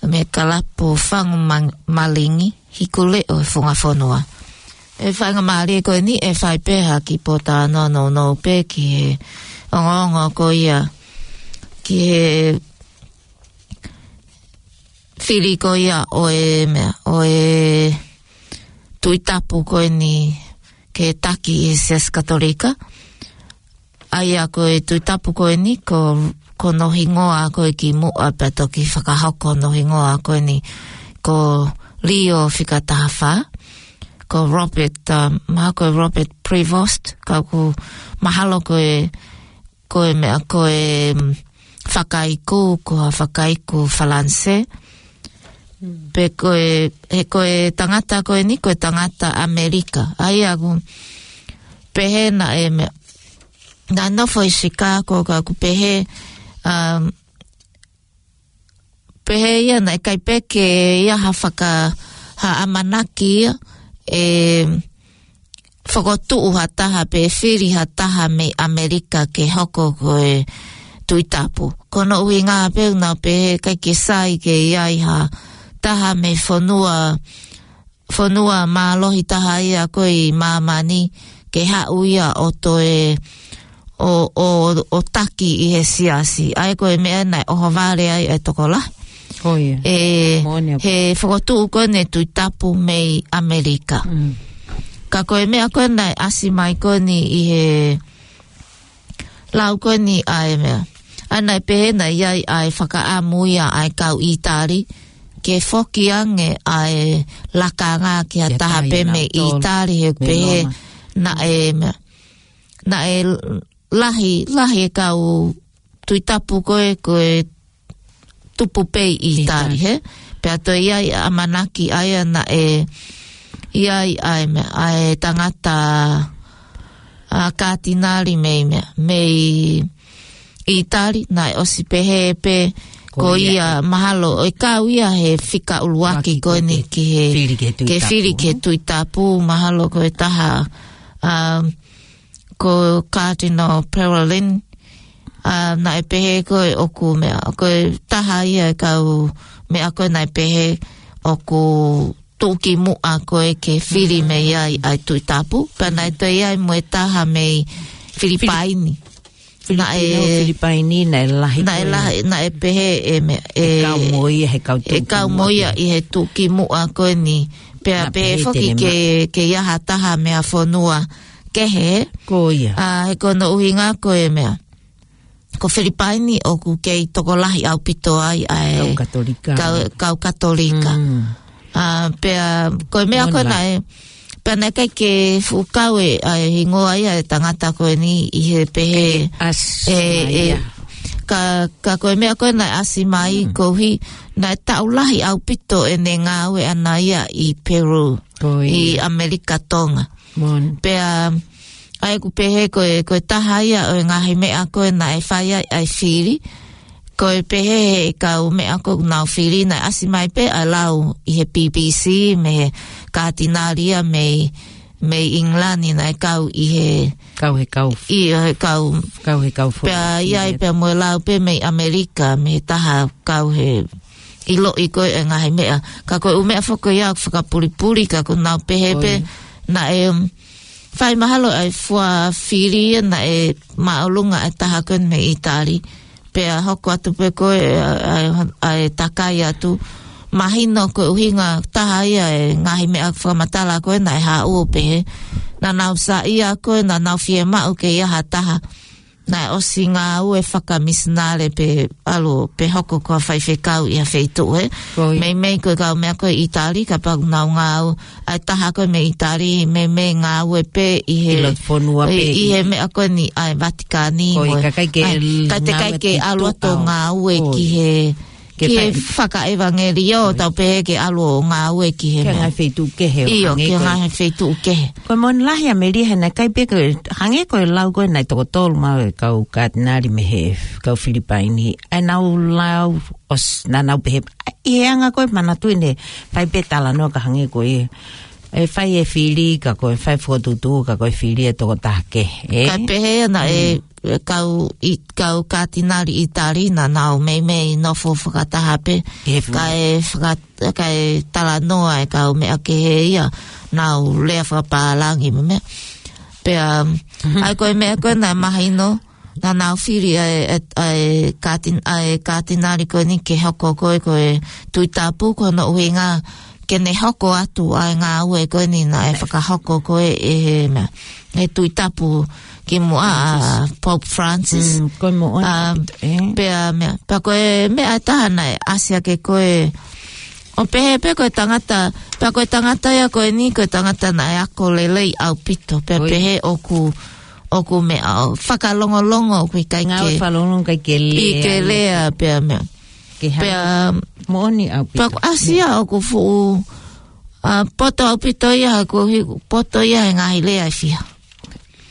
mei he kalapu Fangu Mang-, Malingi, Hiku Leʻo e funga fonua. ʻE faingamālie ko eni ʻe fai pē ha kiʻi pōtalanoa nounou pē ki he ongoongo ko ia, ki he fili ko ia ʻo e meʻa, ʻo e Tuʻi Tapu ko eni ke taki ʻi he Siasi Katolika. ʻA ia ko e Tuʻi Tapu ko eni ko, ko hono hingoa ko ē kimuʻa pea toki fakahoko hono hingoa ko eni ko Leo fika taha fā, ko Robert, um, mahalo ko Robert Prevost, ka ʻoku mahalo ko e, ko e meʻa ko e, um, fakaiku, ko ha fakaiku Falanse. Pe ko e, he ko e tangata ko eni, ko e tangata ʻAmelika. ʻA ia ʻoku pehē naʻe meʻa, naʻe nofo ʻi Chicago ka ʻoku pehē, um, pehē ia naʻe ʻikai pē ke ʻi ai ha faka-, ha ʻamanaki ia ʻe fokotuʻu ha taha pe fili ha taha mei ʻAmelika ke hoko ko e Tuʻi Tapu. Ko hono ʻuhinga pē ʻoku nau pehē ʻikai ke sai ke ʻi ai ha taha mei fonua, fonua mālohi taha ia ko ē ʻi māmani ke haʻu ia ʻo toe ʻo, ʻo, ʻo taki ʻi he siasi. ʻA ia ko e meʻa naʻe ʻohovale ai e tokolahi. Ko ia. ʻE, Moʻoni ʻaupito. He fokotuʻu ko eni e Tuʻi Tapu mei ʻAmelika. Mm. Ka ko e meʻa ko ē naʻe ʻasi mai ko eni ʻi he lau ko eni ʻa e meʻa. ʻA ia naʻe pehē naʻe ʻi ai ʻa e fakaʻamu ia ʻa e kau ʻItali ke foki ange ʻa e lakanga ki ha taha pē mei ʻItali he pehē naʻe meʻa. Naʻe lahi, lahi e kau Tuʻi Tapu ko ē, ko e tupu pē ʻi ʻItali, he? Pea toe ʻi ai ʻamanaki ʻa ia naʻe ʻi ai ʻa e meʻa, ʻa e tangata, ʻa, katinali mei meʻa, mei ʻItali, naʻe ʻosi pehē pē ko ia mahalo, ʻe kau ia he fika ʻuluaki ko eni ki he, ke fili ki he Tuʻi Tapu, mahalo ko e taha, um, ko Cardinal Parolin, ʻa, naʻe pehē ko ē ʻoku meʻa, ko e taha ia e kau meʻa ko ē naʻe pehē ʻoku tuʻukimuʻa ko ē ke fili mei ai ʻa e Tuʻi Tapu, pea naʻe toe ʻi ai mo e taha mei Filipaini. Filipino, Filipaini, naʻe lahi ko ē. Naʻe lahi, naʻe pehē ʻe meʻa, ʻe kau mo ia he kau tuʻukimuʻa ʻi he tuʻukimuʻa ko eni. Pea pehē foki ke, ke ʻi ai ha taha mei ha fonua kehe. Ko ia. ʻA, he ko hono ʻuhinga ko e meʻa, ko Filipaini ʻoku kei tokolahi ʻaupito ai ʻa e kau Katolika. Kau, kau Katolika. Mm. ʻA, pea, ko e meʻa ko ē naʻe, pea naʻe ʻikai ke fuʻu kau e, ʻa e hingoa ia e tangata ko eni ʻi he pehē. ʻE, ʻe, ka, ka ko e meʻa ko ē naʻe ʻasi mai koeʻuhi, naʻe taʻu lahi ʻaupito ʻene ngāue ʻana ia ʻi Peru, ʻi ʻAmelika Tonga. Pea, ʻa ia ʻoku pehē ko e, ko e taha ia ʻo e ngaahi meʻa ko ē naʻe fai ai ʻa e fili, ko e pehē he kau meʻa ko ē ʻoku nau fili naʻe ʻasi mai pē ʻa e lau ʻi he B B C mei he katinali ia mei, mei ʻIngilani naʻe kau ʻi he kau he kau. ʻI he kau. Kau he kau fo-. Pea ʻi ai pea mo e lau pē mei ʻAmelika mei he taha kau he ʻiloʻi ko ē e ngaahi meʻa. Ka ko e ʻū meʻa foki ia ʻoku fakapulipuli ka ʻoku nau pehē pē naʻe, um, fai mahalo ʻa e fua fili ia naʻe māʻolunga ʻa e taha ko ē mei ʻItali. Pea hoko atu pē ko ē ʻa, ʻa, ʻa e takai atu. Mahino ko e ʻuhinga taha ia e ngaahi meʻa fakamatala ko ē naʻe haʻu ʻo pehē. Naʻa nau saiʻia ko ē naʻa nau fiemaʻu ke ʻi ai ha taha naʻe ʻosi ngāue fakamisinale pe ʻalu pe hoko ko ha faifekau ʻi ha feituʻu, he? Meimei ko e kau meʻa ko ē ʻItali, kapau ʻoku nau ngāue, ʻa e taha ko ē mei ʻItali, meimei ngāue pē ʻi he, ʻi he meʻa ko eni ʻa e Vatikani, ʻikai te ʻikai ke ʻalu atu ʻo ngāue ki he, ki he fakaʻevangelio, tau pehē ke ʻalu ʻo ngāue ki he meʻa. Ki he ngaahi feituʻu kehe. ʻIo, ki he ngaahi feituʻu kehe. Ko e moʻoni lahi ʻa Melia he naʻe ʻikai pē ke hangē ko e lau ko ē naʻe toko tolu maʻu e kau katinali mei he kau Filipaini. ʻA ia naʻa nau lau ʻosi, naʻa nau pehē, ʻi he anga ko ē manatuʻi ne fai pē talanoa ka hangē ko e ʻe fai e fili ka ko e fai fokotuʻutuʻu ka ko e fili e tokotaha kehe, ē? Ka pehē naʻe, ʻe kau ʻi, kau kātinali ʻItali naʻa nau meimei nofo fakataha pē. He fu- Kae faka-, kae talanoa e kau meʻa kehe ia, nau lea fakapālangi mo e meʻa. Pea, ʻa ia ko e meʻa ko ē naʻe mahino, naʻa nau fili ʻa e, ʻa e, ʻa e kātin-, ʻa e kātinali ko eni ke hoko ko e, ko e Tuʻi Tapu, ko hono ʻuhinga ke ne hoko atu ʻa e ngāue ko eni naʻe fakahoko ko e, ʻe he meʻa, ʻe he Tuʻi Tapu kimuʻa ʻa Pope Francis. Mm, ko e moʻoni ʻaupito, ē? Pea meʻa, pea ko e meʻa ʻe taha naʻe ʻasi hake ko e, ʻo pehē pē ko e tangata, pea ko e tangata ia ko eni, ko e tangata naʻe ako lelei ʻaupito, pea pehē ʻoku, ʻoku meʻa ʻo fakalongolongo ʻoku ʻikai ke, ngāue fakalongolongo ʻikai ke lea, ʻikai ke lea, pea meʻa. Ke hā. Pea moʻoni ʻaupito. Pea ʻoku ʻasi ia ʻoku fuʻu, ʻa, poto ʻaupito ia, ko hi-, poto ia he ngaahi lea ʻe fiha.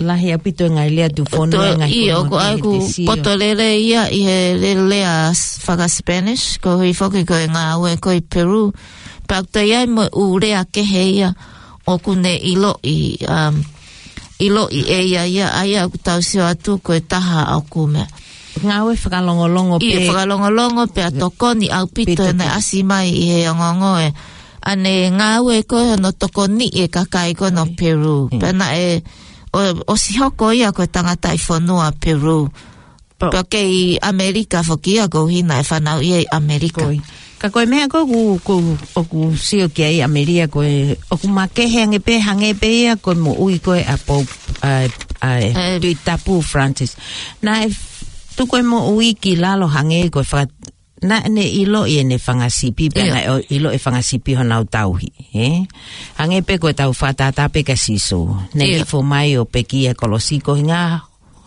Lahi ʻaupito e ngaahi lea tuʻufonua, ʻio, ngaahi fonua ʻoku ʻai ʻoku poto lelei ia ʻi he le-, lea s-, faka-Spanish, ko hoʻo foki ko e ngāue ko ē ʻi Peru. Pea ʻoku toe ʻi ai mo e ʻū lea kehe ia ʻoku ne ʻiloʻi, um, ʻiloʻi ʻe ia ia, ʻa ia ʻoku tau sio atu ko e taha ʻoku meʻa. Ngāue fakalongolongo pē. ʻIo, fakalongolongo pea tokoni ʻaupito pē naʻe ʻasi mai ʻi he ongoongo ē. ʻA ʻene ngāue ko ē hono tokoniʻi e kakai ko ē ʻo Peru. Pea naʻe ʻo, ʻosi hoko ia ko e tangataʻi fonua Peru. Pea kei ʻAmelika foki ia koeʻuhi naʻe fanauʻi ai ʻAmelika. Ka ko e meʻa ko ē ʻoku, ʻoku, ʻoku sio ki ai ʻAmelika ko e, ʻoku makehe ange pē, hangē pē ia ko e moʻui ko ē ʻa Pope, ʻa, ʻa e Tuʻi Tapu Francis. Naʻe f-, tuku e moʻui ki lalo hangē ko e fa-, naʻa ne ʻiloʻi ʻene fanga sipi, pea naʻe ʻo-, ʻiloʻi e fanga sipi honau tauhi, ē? Hangē pē ko e tau fakatātā pē kia Sīsū. Ne hifo mai ʻo pekia he kolosi ko e ʻuhinga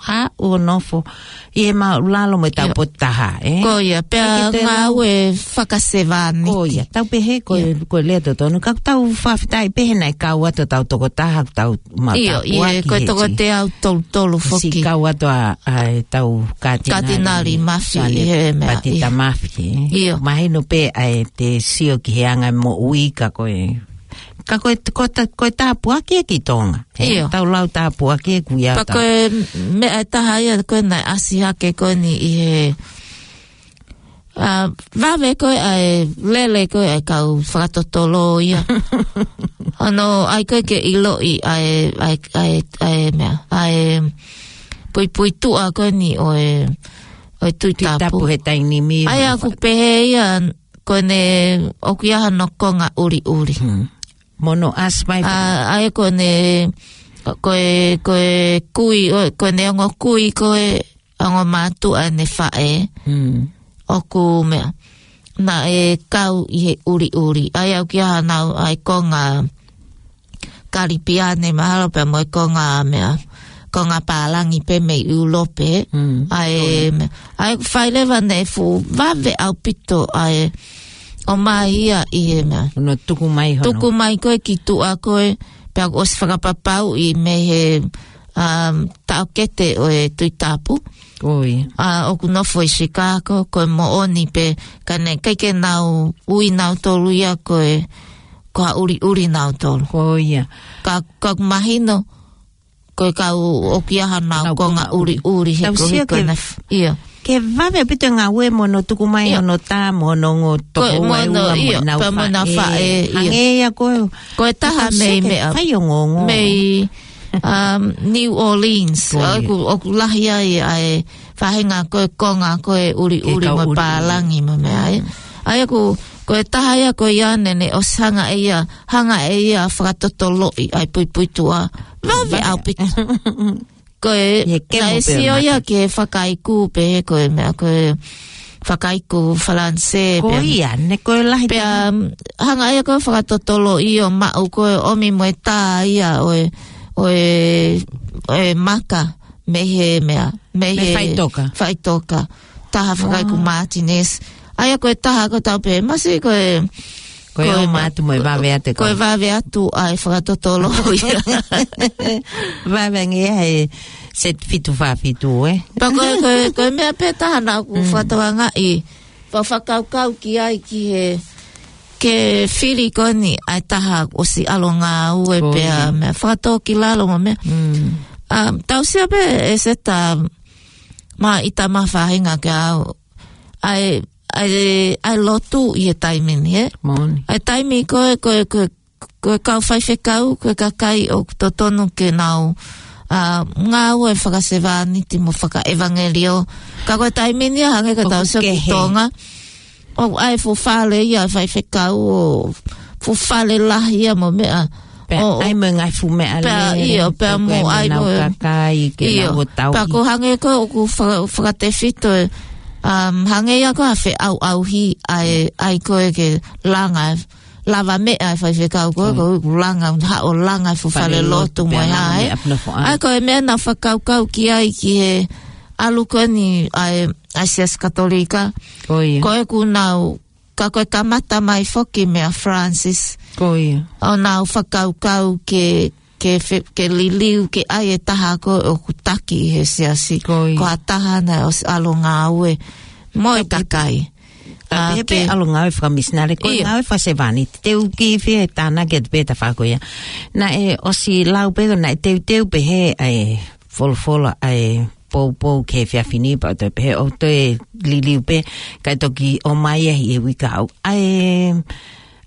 haʻu ʻo nofo ʻi he māʻulalo mo e taupotu taha, ē? Ko ia, pea ngāue fakasevāniti. Ko ia, tau pehē ko e, ko e lea totonu. Ka tau fakafetaʻi pē he naʻe kau atu ʻetau tokotaha, tau mau tāpuaki he toko teau tolu tolu foki. Siʻi kau atu ʻa, ʻa ʻetau kātinali, Kātinali Mafi, Sione he meʻa, Patita Mafi, ē? ʻIo. Mahino pē ʻa e te sio ki he anga moʻui ka ko e, ka ko e, ko ta-, ko e tāpuaki ē ki Tonga. ʻIo. Tau lau tāpuaki ē kuia. Pea ko e meʻa ʻe taha ia ko ē naʻe ʻasi hake ko eni ʻi he, ʻa, vave ko ē ʻa e lele ko ē ʻa e kau fakatotolo ia. Hono ʻai ko ē ke ʻiloʻi ʻa e, ʻa e, ʻa e, ʻa e meʻa, ʻa e puipuituʻa ko eni ʻo e, ʻo e Tuʻi Tapu. Tuʻi Tapu he taimi ni. ʻA ia ʻoku pehē ia ko ʻene ʻoku ʻi ai hano konga ʻuliʻuli. Mo hono ʻasi mai. ʻA, ʻa ia ko ʻene, ko e, ko e kui, ʻo, ko ʻene ongo kui ko e ongo mātuʻa ʻene faʻē. ʻOku meʻa, naʻe kau ʻi he ʻuliʻuli. ʻA ia ʻoku ʻi ai hanau ʻa e konga Kalipiane mahalo pea mo e konga meʻa, konga pālangi pē mei ʻIulope. ʻA e meʻa, ʻa ia ʻoku fai leva naʻe fuʻu vave ʻaupito ʻa e ʻomai ia ʻi he meʻa. Hono tuku mai hono. Tuku mai ko ē ki tuʻa ko ē, pea ʻoku ʻosi fakapapauʻi mei he, um, taʻokete ʻo e Tuʻi Tapu. ʻA, ʻoku nofo ʻi Chicago, ko e moʻoni pē, ka naʻe ʻikai ke nau ui nautolu ia ko e, ko ha ʻuliʻuli nautolu. Ko ia. Ka, ka ʻoku mahino, ko e kau ʻoku ʻi ai hanau konga ʻuliʻuli he ko e hiko na f-, ʻio. Ke vave ʻaupito e ngāue mo hono tuku mai hono tā mo hono ongo tokoua ʻe ua mo ʻenau faʻē. Hangē ia ko e, ko e taha mei meʻa, fai ongoongo. Mei, um, New Orleans. Ko ia. ʻOku, ʻoku lahi ai ʻa e faʻahinga ko e konga ko e ʻuliʻuli mo e pālangi mo e meʻa ia. ʻA ia ʻoku, ko e taha ia ko ia naʻa ne ʻosi hanga ʻe ia, hanga ʻe ia fakatotoloʻi ʻa e puipuituʻa. Vave ʻaupito. Ko e, naʻe sio ia ki he fakaiku pē, ko e meʻa ko e fakaiku Falanisē. Ko ia, ne ko e lahi. Pea, um, hanga ia ko e fakatotoloʻi ʻo maʻu ko e ʻomi mo e tā ia ʻo e, ʻo e, ʻo e maka, mei he meʻa, mei he faʻitoka. Faʻitoka. Taha fakaiku Martinez. ʻA ia ko e taha ko e tau pē, masi ko e, ko e ʻomai atu mo e vave atu e ko e vave atu ʻa e fakatotolo ia. Vave ange ia he set fitu fā fitu, ē? Pea ko e, ko e, ko e meʻa pē taha naʻa ku fakatokangaʻi. Pea fakakaukau ki ai ki he, ke fili ko eni ʻa e taha ʻosi ʻalu ngāue pea meʻa fakatōkilalo mo meʻa. Tau sio pē ʻe Seta, māʻita mo e faʻahinga ke ʻaʻau ʻa e, ʻa e, ʻa e lotu ʻi he taimi ni, ē? ʻA e taimi ko ē, ko e, ko e, ko e kau faifekau, ko e kakai ʻoku totonu ke nau ngāue fakasevāniti mo fakaʻevangelio. Ka ko e taimi ni ia hangē ka tau sio ki Tonga, ʻoku ʻi ai e fuʻu fale ia faifekau ʻo fuʻu fale lahi ia mo meʻa. Pea ʻi ai mo e ngaahi fuʻu meʻa lele, pea ʻi ai mo e ngaahi fuʻu meʻa lele, pea ko e hangē ko ē ʻoku fakatefito ē, hangē ia ko e feʻauʻauhi ʻa e, ʻa e ko ē ke langa, lava meʻa e faifekau ko ē, ko e langa, haʻu ʻo langa e fuʻu fale lotu mo e hā ē. ʻA ia ko e meʻa naʻa fakakaukau ki ai ki he ʻalu ko eni ʻa e, ʻa e Siasi Katolika. Ko ē kuo nau, ka ko e kamata mai foki meia Francis. ʻO nau fakakaukau ke, ke fe-, ke liliu ke ʻai e taha ko ē ʻoku taki ʻi he siasi. Ko ha taha naʻe ʻosi ʻalu ngāue mo e kakai. Ka pehē pē ʻalu ngāue fakamisinale, ko e ngāue fakasevāniti. Te u kiʻi fie tānaki atu pē ta fako ia. Naʻe ʻosi lau pē ko naʻe teuteu pehē ʻa e folofola ʻa e poupou ki he efiafi ni pea ʻoku toe pehē ʻoku toe liliu pē, kae toki ʻomai ia ʻi he uike kahaʻu. ʻA e,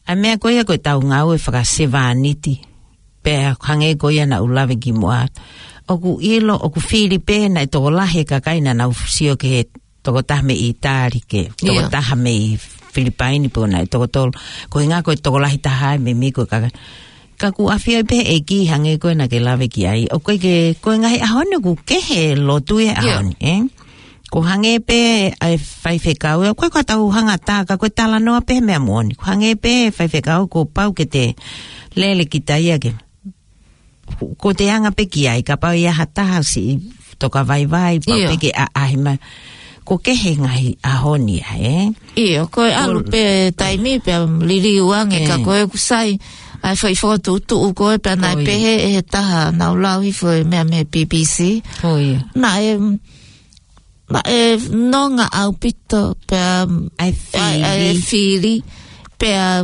ʻa e meʻa ko ia ko e tau ngāue fakasevāniti. Pea hangē ko ia naʻa ku lave ki muʻa. ʻOku ʻilo, ʻoku fili pē naʻe tokolahi e kakai naʻa nau sio ki he tokotaha mei ʻItāli ke, tokotaha mei Filipaini pē naʻe toko tolu. Ko e ʻuhinga ko e tokolahi taha ʻa e meimei ko e kakai. Ka ʻoku ʻafioʻi pē ʻe he ʻEiki hangē ko e naʻa ke lave ki ai. ʻOku ʻikai ke, ko e ngaahi ʻaho ni ʻoku kehe e lotu he ʻaho ni, ē? Ko e hangē pē ʻa e faifekau, ʻoku ʻikai ko ha tau hangatā, ka ko e talanoa pē meʻa moʻoni. Ko e hangē pē faifekau kuo pau ke te lele kita ia ke. Ko te anga pē ki ai, kapau ʻe ʻi ai ha taha siʻi toka vaivai, pau pē ke ʻaʻahi mai. Ko e kehe ngaahi ʻaho ni ia, ē? ʻIo, ko e ʻalu pē taimi pea liliu ange, ka ko e ʻoku sai ʻa e fai fokotuʻutuʻu ko ē pea naʻe pehē ʻe he taha naʻa ku lau hifo e meʻa mei he B B C. Naʻe, naʻe nonga ʻaupito pea ʻa e fili. ʻA e fili. Pea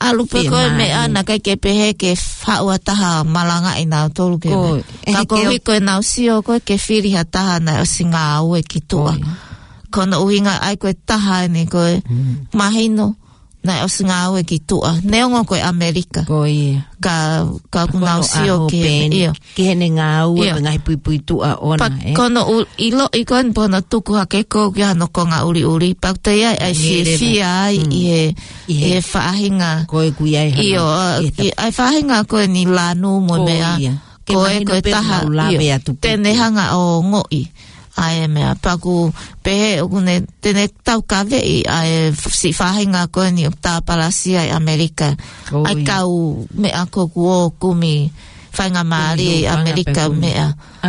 ʻalu pē ko e meʻa naʻe ʻikai ke pehē ke haʻu ha taha malangaʻi nautolu ke meʻa. Ka ko e hiko ʻenau sio ko ē ke fili ha taha naʻe ʻosi ngāue ki tuʻa. Ko hono ʻuhinga ʻa e ko e taha eni ko e mahino naʻe ʻosi ngāue ki tuʻa. Neongo ko e ʻAmelika. Ka, ka ʻoku nau sio ki he, ʻio. Ki heʻene ngāue mo e ngaahi puipuituʻa ʻoʻona, ē? Ko hono ʻiloʻi ko eni pea hono tuku hake ko ē ki hono konga ʻuliʻuli. Pea ʻoku toe ʻi ai ʻa e fiefia ai ʻi he, ʻi he faʻahinga. Ko e ʻoku ʻi ai hano. ʻIo, ʻa e faʻahinga ko eni lanu mo e meʻa. Ko e, ko e taha, ʻio. Te ne hanga ʻo ongoʻi ʻa e meʻa. Pea ʻoku pehē ʻoku ne, te ne taukaveʻi ʻa e siʻi faʻahinga ko eni ʻoku tāpalasia ʻi ʻAmelika. ʻA e kau meʻa ko ē kuo kumi faingamālie ʻi ʻAmelika meʻa.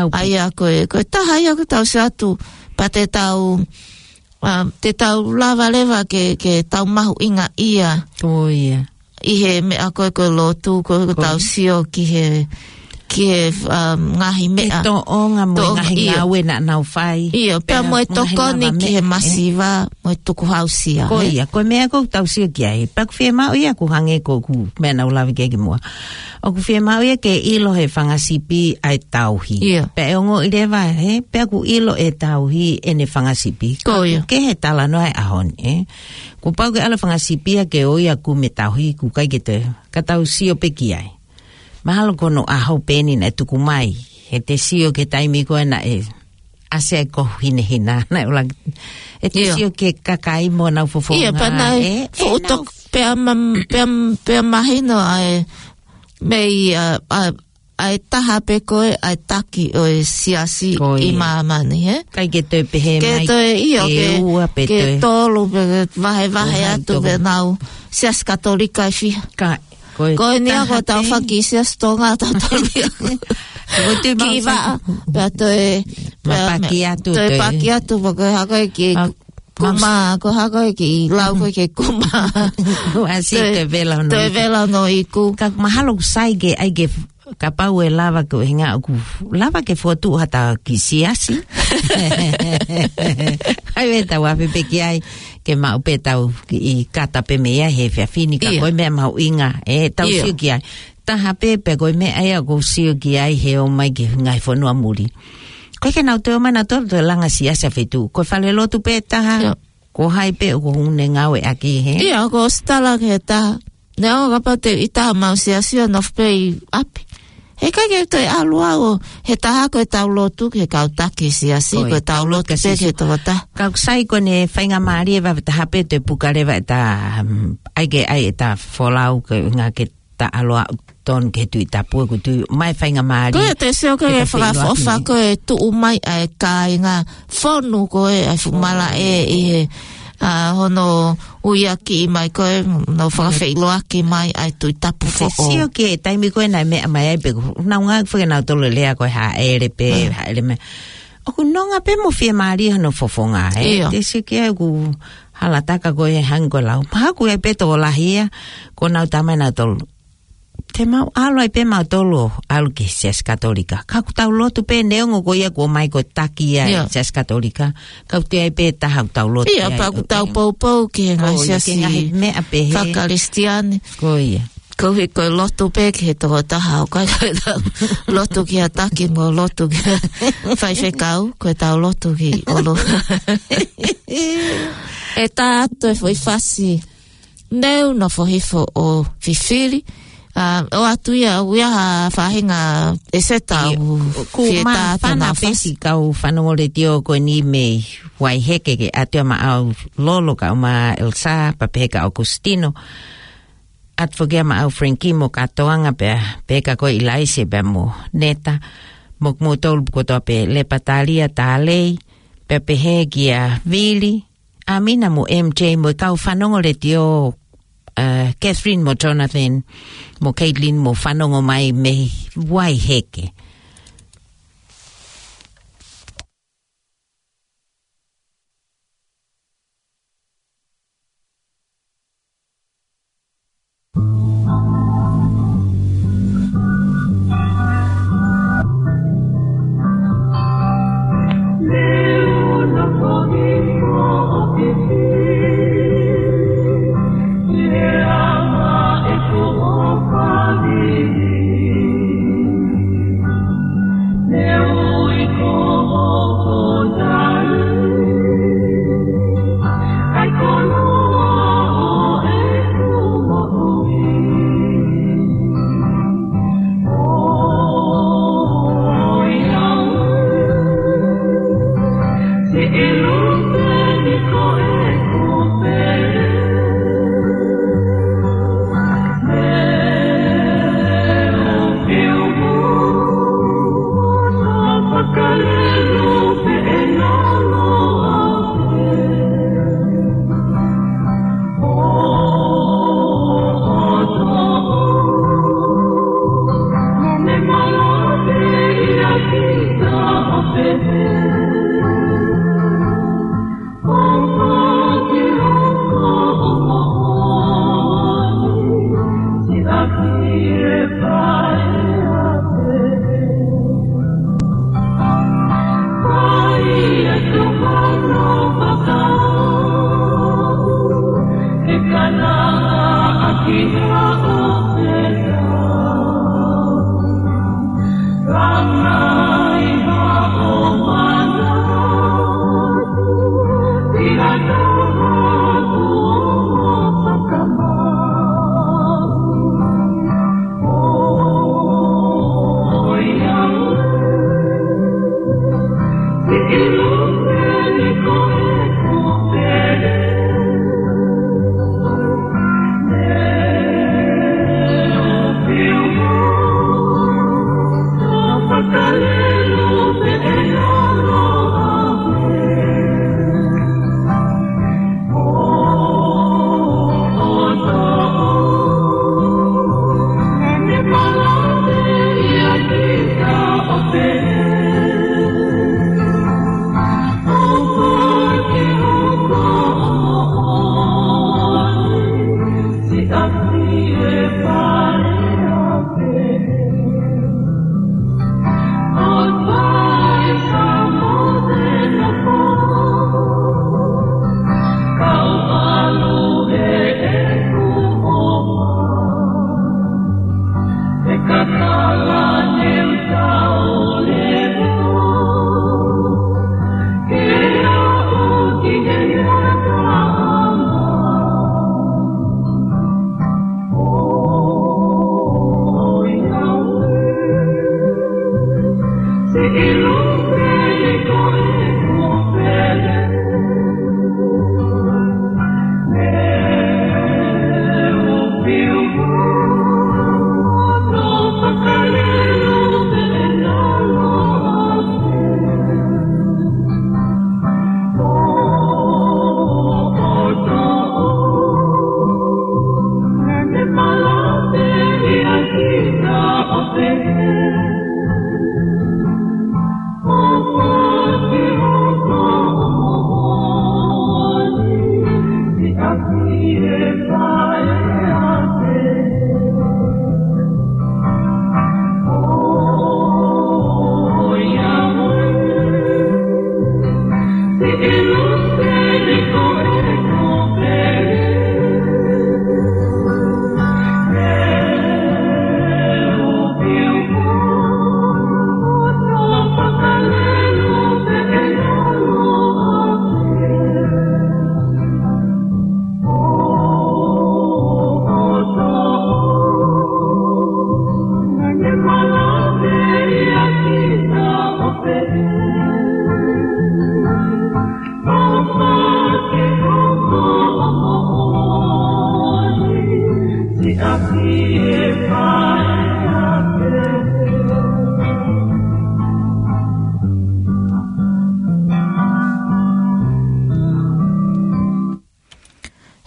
ʻA ia ko e, ko e taha ia ʻoku tau sio atu, pea te tau, te tau lava leva ke, ke tau mahuʻinga ia. ʻI he meʻa ko ē ko e lotu, ko e tau sio ki he, ki he ngaahi meʻa. Ke toʻonga mo e ngaahi ngāue naʻa nau fai. ʻIo, pea mo e tokoni ki he masiva, mo e tukuhausia. Ko ia, ko e meʻa ʻoku tau sio ki ai. Pea ʻoku fiemaʻu ia ʻoku hangē ko ʻeku meʻa naʻa ku lave ki ai ki muʻa. ʻOku fiemaʻu ia ke ʻilo he fanga sipi ʻa e tauhi. Pea ʻe ongoʻi leva, ē, pea ʻoku ʻilo ʻe he tauhi ʻene fanga sipi. Ko ia. Ke he talanoa e ʻaho ni, ē. Kuo pau ke ʻalu e fanga sipi ia ke ʻo ia kumi e tauhi ʻoku ʻikai ke te, ka tau sio pē ki ai. Mahalo ko hono ʻaho pē eni naʻe tuku mai. He te sio ki he taimi ko ē naʻe ʻasi ai e kohu hinehina, naʻe ʻuluaki. He te sio ki he kakai mo ʻenau fofonga. ʻIo, pea naʻe fuʻu tok-, pea ma-, pea, pea mahino ʻa e mei, ʻa, ʻa, ʻa e taha pē ko ē ʻa e taki ʻo e siasi ʻi māmani, ē? ʻIkai ke toe pehē mai ke ua pe ke tolu pe ke vahevahe atu pē ʻenau Siasi Katolika ʻe fiha. Ko eni ia ko e tau faki Siasi Tonga tau tolu ia. Kiʻi vaʻa, pea toe, pea paki atu, toe paki atu, pea ko e hako e kiʻi kuma, ko e hako e kiʻi lau ko e kiʻi kuma. Toe vela hono iku. Ka mahalo ʻoku sai ke, ʻai ke, kapau ʻe lava ko e hinga ʻoku lava ke fokotuʻu ha taha kiʻi siasi. ʻAi ē tau afe pē ki ai. ke maʻu pē tau ʻi kata pē mei ai he efiafi ni ka ʻIo. ko e meʻa mahuʻinga, ʻe tau ʻIo. sio ki ai. Taha pē pē ko e meʻa ia ʻoku ou sio ki ai he ō mai ki he ngaahi fonua muli. Ko e ke nau toe ō mai nau toe toe langa siasi ʻa feituʻu. Ko e fale lotu pē taha, ʻIo. ko hai pē ʻoku ne ngāueʻaki he. ʻIo, ko e ʻosi tala ki he taha. Neongo kapau te u ʻi taha mau siasi ʻo nofo pē ʻi ʻapi. He ʻikai ke toe ʻalu au ʻo, he taha ko e tau lotu ki he kau taki siasi, Ko e ko e tau tau lotu lotu pē kasi ki he su- tokotaha. Kau sai ko ʻene faingamālie ʻe vave taha pē te puka leva ʻeta, um, ʻai ke ʻai ʻeta folau ke ngā ke ta ʻalu ʻo tonu ke tui tapu ʻoku tui mai faingamālie Ko e te sio ke ke ta fakaʻofa feʻiloaki. ko e tuʻu mai ʻa e kāinga fonu ko e ʻa e fuʻu malaʻe ʻi he, ʻa, hono ui ʻaki mai ko e no fakafeʻiloaki mai ʻa e tui tapu Te foʻou. sio ki he taimi ko ē naʻe meʻa mai ai pē, ʻoku nau ngā fake nau tolo lea ko e hāʻele pē, Mm. hāʻele meʻa. ʻOku nonga pē mo fiemālie hono fofonga, ē? ʻIo. Te sio ki ai ʻoku hala taka ko e hangē ko e lau. Paha ʻoku ʻi ai pē tokolahi ia, ko nau tamai nau tolo. Te mau ʻalu ai pē mau tolo, ʻalu ki he siasi Katolika. Ka ʻoku tau lotu pē neongo ko ia ko mai ko e taki ia ʻIo. siasi Katolika. Ka ʻoku ʻi ai pē taha ʻoku tau lotu ʻIo, ai, pea ʻoku tau ʻoku poupou ki he ngaahi Ko ia, ki he siasi ngaahi meʻa pē he. fakakalisitiane. Ko ia. Ko e ko e lotu pē ki he tokotaha ʻoku ʻikai ko e tau lotu ki ha taki mo lotu ki ha faifekau, ko e tau lotu ki ʻolunga. ʻE tā atu e foʻi fasi. Neu nofo hifo ʻo fifili. ʻA, ʻoatu ia, ʻoku ʻi ai ha faʻahinga ʻEseta ʻIo, ʻoku ʻoku fie ma tā atu fana ʻena fasi. pesi kau fanongo letiō ko eni mei Vaiheke ke ʻatu ia maʻau Lolo kae ʻumaʻā Elsa, pea pehē kia Augustino. ʻAtu foki ia maʻau Frankie mo Katoanga pea pehē kia koe ʻIlaise pea mo Neta. Mo kimoutolu kotoa pē Lepatalia Talei, pea pehē kia Vili, ʻAmina mo M J mo e kau fanongo letiō, uh, Catherine mo Jonathan, mo Caitlin mo fanongo mai mei Vaiheke.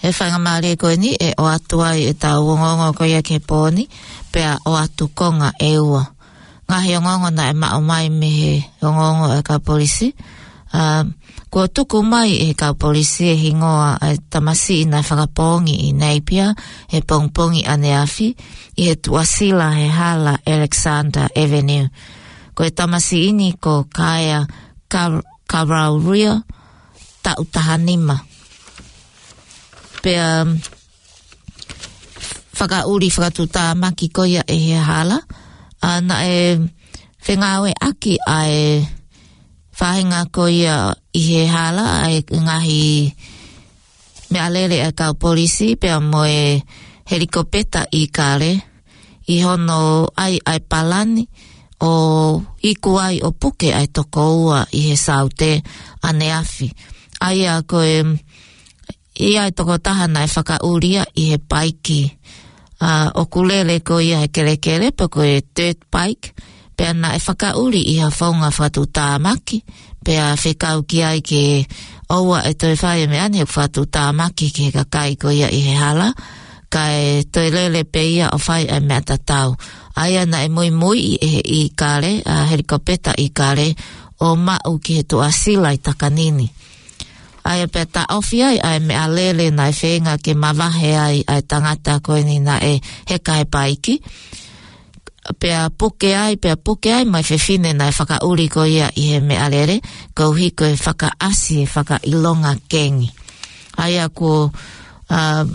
He faingamālie ko eni ʻe ʻoatu ai ʻetau ongoongo ko ia ki he pō ni, pea ʻoatu konga ʻe ua. Ngaahi ongoongo naʻe maʻu mai mei he ongoongo ʻa e kau polisi. ʻA, kuo tuku mai ʻe he kau polisi e hingoa ʻa e tamasiʻi naʻe fakapoongi ʻi Napier he pongipongi ʻaneafi ʻi he tuʻasila he hala Alexander Avenue. Ko e tamasiʻi ni ko Kaya Kar-, Karauria, taʻu taha nima. Pea fakaʻuli fakatuʻutāmaki ko ia ʻe he hala, ʻa, naʻe fengāueʻaki ʻa e faʻahinga ko ia ʻi he hala ʻa e ngaahi meʻalele ʻa e kau polisi pea mo e helikopeta ʻIkale ʻi hono ʻai ʻa e palani ʻo iku ai ʻo puke ʻa e toko ua ʻi he saute ʻaneafi. ʻA ia ko e ʻi ai e tokotaha naʻe fakaʻuli ia ʻi he paiki. ʻA, ʻoku lele ko ia he kelekele pe ko e dirt bike, pea naʻe fakaʻuli ʻi ha founga fakatuʻutāmaki, pea fekau ki ai ke ʻoua ʻe toe fai e meʻa ni he fakatuʻutāmaki ki he kakai ko ia ʻi he hala, kae toe lele pē ia ʻo fai ʻa e meʻa tatau. ʻA ia naʻe muimuiʻi ʻe he ʻIkale, ʻa, helikopeta ʻIkale, ʻo maʻu ki he tuʻasila ʻi Takanini. ʻA ia pea taʻofi ai ʻa e meʻalele naʻe feinga ke mavahe ai ʻa e tangata ko eni naʻe heka he paiki. Pea puke ai, pea puke ai mo e fefine naʻe fakaʻuli ko ia ʻi he meʻalele, koeʻuhi ko e fakaʻasi e fakaʻilonga kengi. ʻA ia kuo, ʻa,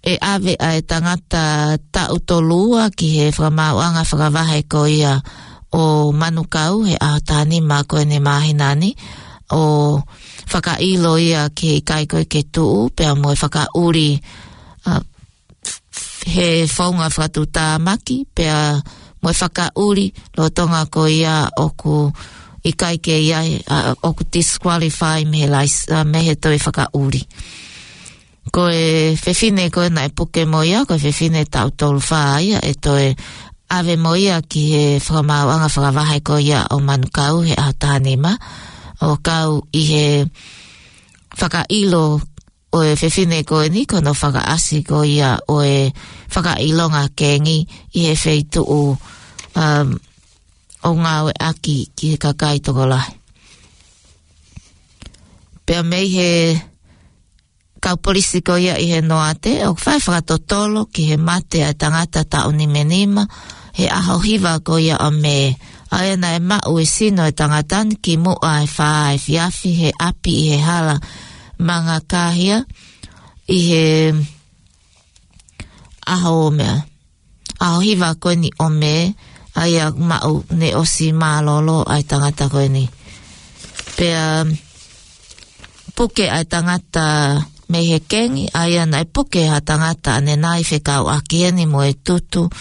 ʻe ʻave ʻa e tangata taʻu tolu ua ki he fakamaauʻanga fakavahe ko ia ʻo Manukau he ʻaho taha nima ko eni ʻo e māhina ni, ʻo fakaʻilo ia ke ʻikai ko ē ke tuʻu, pea mo e fakaʻuli, ʻa, he founga fakatuʻutāmaki, pea mo e fakaʻuli lolotonga ko ia ʻoku ʻikai ke ʻi ai, ʻa, ʻoku disqualify mei he lais-, ʻa, mei he toe fakaʻuli. Ko e fefine ko ē naʻe puke mo ia, ko e fefine taʻu tolu fā ia, ʻe toe ʻave mo ia ki he fakamaauʻanga fakavahe ko ia ʻo Manukau he ʻaho taha nima, ʻo kau ʻi he fakaʻilo ʻo e fefine ko eni, ko hono fakaʻasi ko ia ʻo e fakaʻilonga kengi ʻi he feituʻu, um, ʻo ngāueʻaki ki he kakai tokolahi. Pea mei he kau polisi ko ia ʻi he Noate, ʻoku fai fakatotolo ki he mate ʻa e tangata taʻu nima nima, he ʻaho hiva ko ia ʻo Mē. ʻA ia naʻe maʻu e sino e tangata ni kimuʻa he fā efiafi he ʻapi ʻi he hala Mangakahia, ʻi he ʻaho meʻa, ʻaho hiva ko eni ʻo Mē, ʻa ia maʻu ne ʻosi mālōlō ʻa e tangata ko eni. Pea puke ʻa e tangata mei he kengi, ʻa ia naʻe puke ha tangata ʻanenai fekauʻaki eni mo e tutu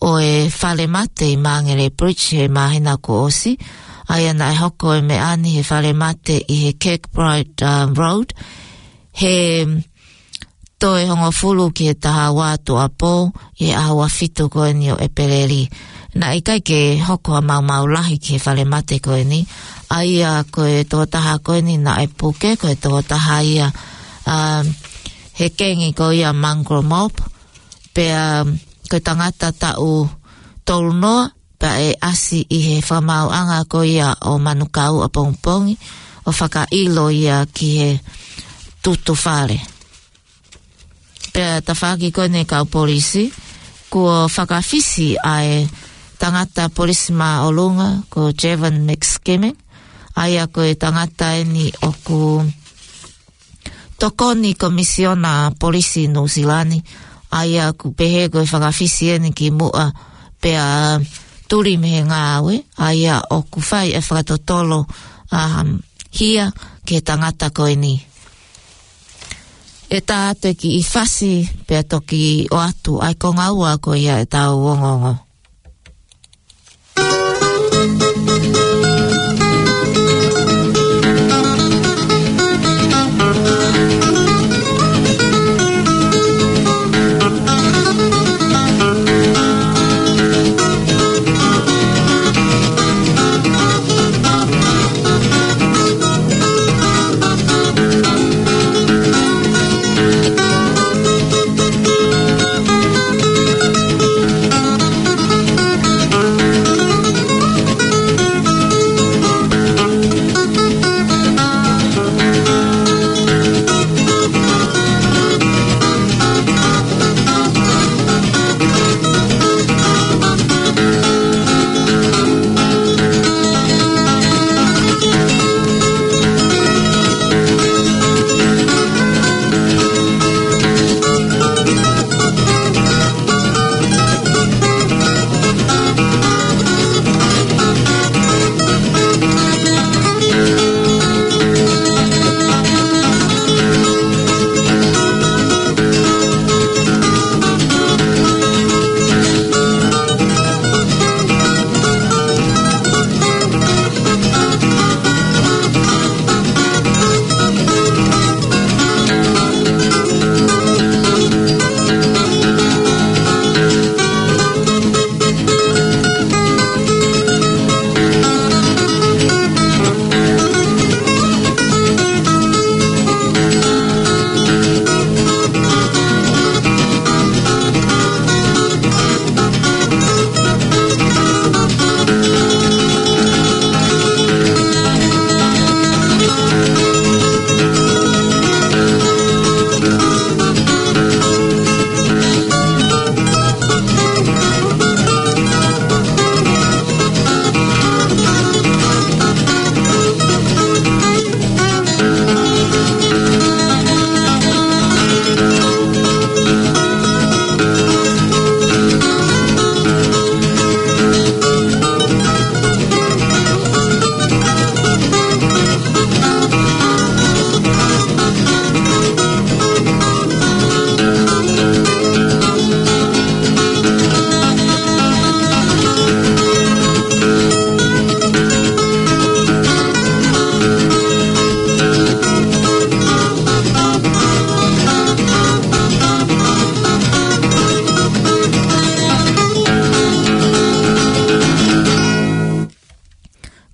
ʻo e fale mate ʻi Māngere Bridge he māhina kuo ʻosi, ʻa ia naʻe hoko e meʻa ni he fale mate ʻi he Kirkbride, uh, Road, he toe hongofulu ki he taha ua tuʻuapō ʻi he ʻaho ua fitu ko eni ʻo ʻEpeleli. Naʻe ʻikai ke hoko ha maumau lahi ki he fale mate ko eni, ʻa ia ko e tokotaha ko eni naʻe puke, ko e tokotaha ia, um, he kengi ko ia Mongrel Mob, pea ko e tangata taʻu tolu noa, pea ʻe ʻasi ʻi he fakamaauʻanga ko ia ʻo Manukau ʻapongipongi, ʻo fakaʻilo ia ki he tutu fale. Pea tafaʻaki ko eni e kau polisi, kuo fakafisi ʻa e tangata polisi māʻolunga ko Javon McSkimming, ʻa ia ko e tangata eni ʻoku tokoni Komisiona Polisi Nuʻusila ni, ʻa ia ʻoku pehē ko e fakafisi eni kimuʻa pea tuli mei he ngāue, ʻa ia ʻoku fai e fakatotolo, um, hia ki he tangata ko eni. ʻE tā atu e kiʻi fasi pea toki ʻoatu ʻa e konga ua ko ia ʻetau ongoongo.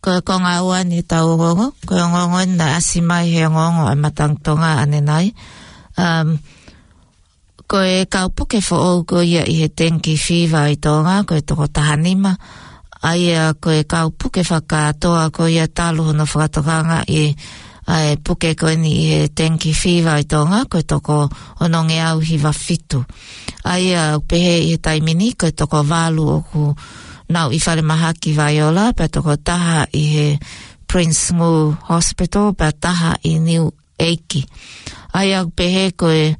Ko e konga ua eni ʻetau ongoongo, ko e ongoongo eni naʻe ʻasi mai he ongoongo ʻa e Matangi Tonga ʻanenai. Um, ko e kau puke foʻou ko ia ʻi he dengue fever ʻi Tonga, ko e toko taha nima, ʻa ia ko e kau puke fakakātoa ko ia talu hono fakatokangaʻi ʻa e puke ko eni ʻi he dengue fever ʻi Tonga, ko e toko onongeau hiva fitu. ʻA ia ʻoku pehē ʻi he taimi ni, ko e toko valu ʻoku nau ʻi falemahaki Vaiola, pea toko taha ʻi he Prince Ngū Hospital, pea taha ʻi Niu ʻEiki. ʻA ia ʻoku pehē ko e,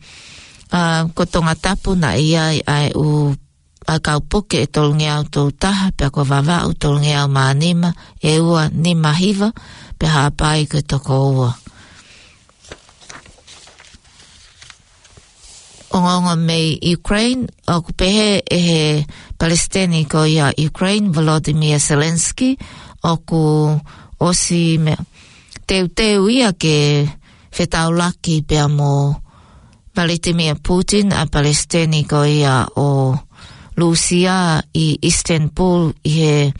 ʻa, ko Tongatapu naʻe ʻi ai ʻa e ʻū, ʻa e kau puke ʻe tolungeau tolu taha, pea ko Vavaʻu tolungeau mā nima, ʻe ua nima hiva, pea Haʻapai ko e toko ua. Ongoongo mei Ukraine, ʻoku pehē ʻe he Palesiteni ko ia Ukraine, Volodymyr Zelensky, ʻoku ʻosi meʻa teuteu ia ke fetaulaki pea mo Vladimir Putin ʻa Palesiteni ko ia ʻo Lūsia ʻi Istanbul ʻi he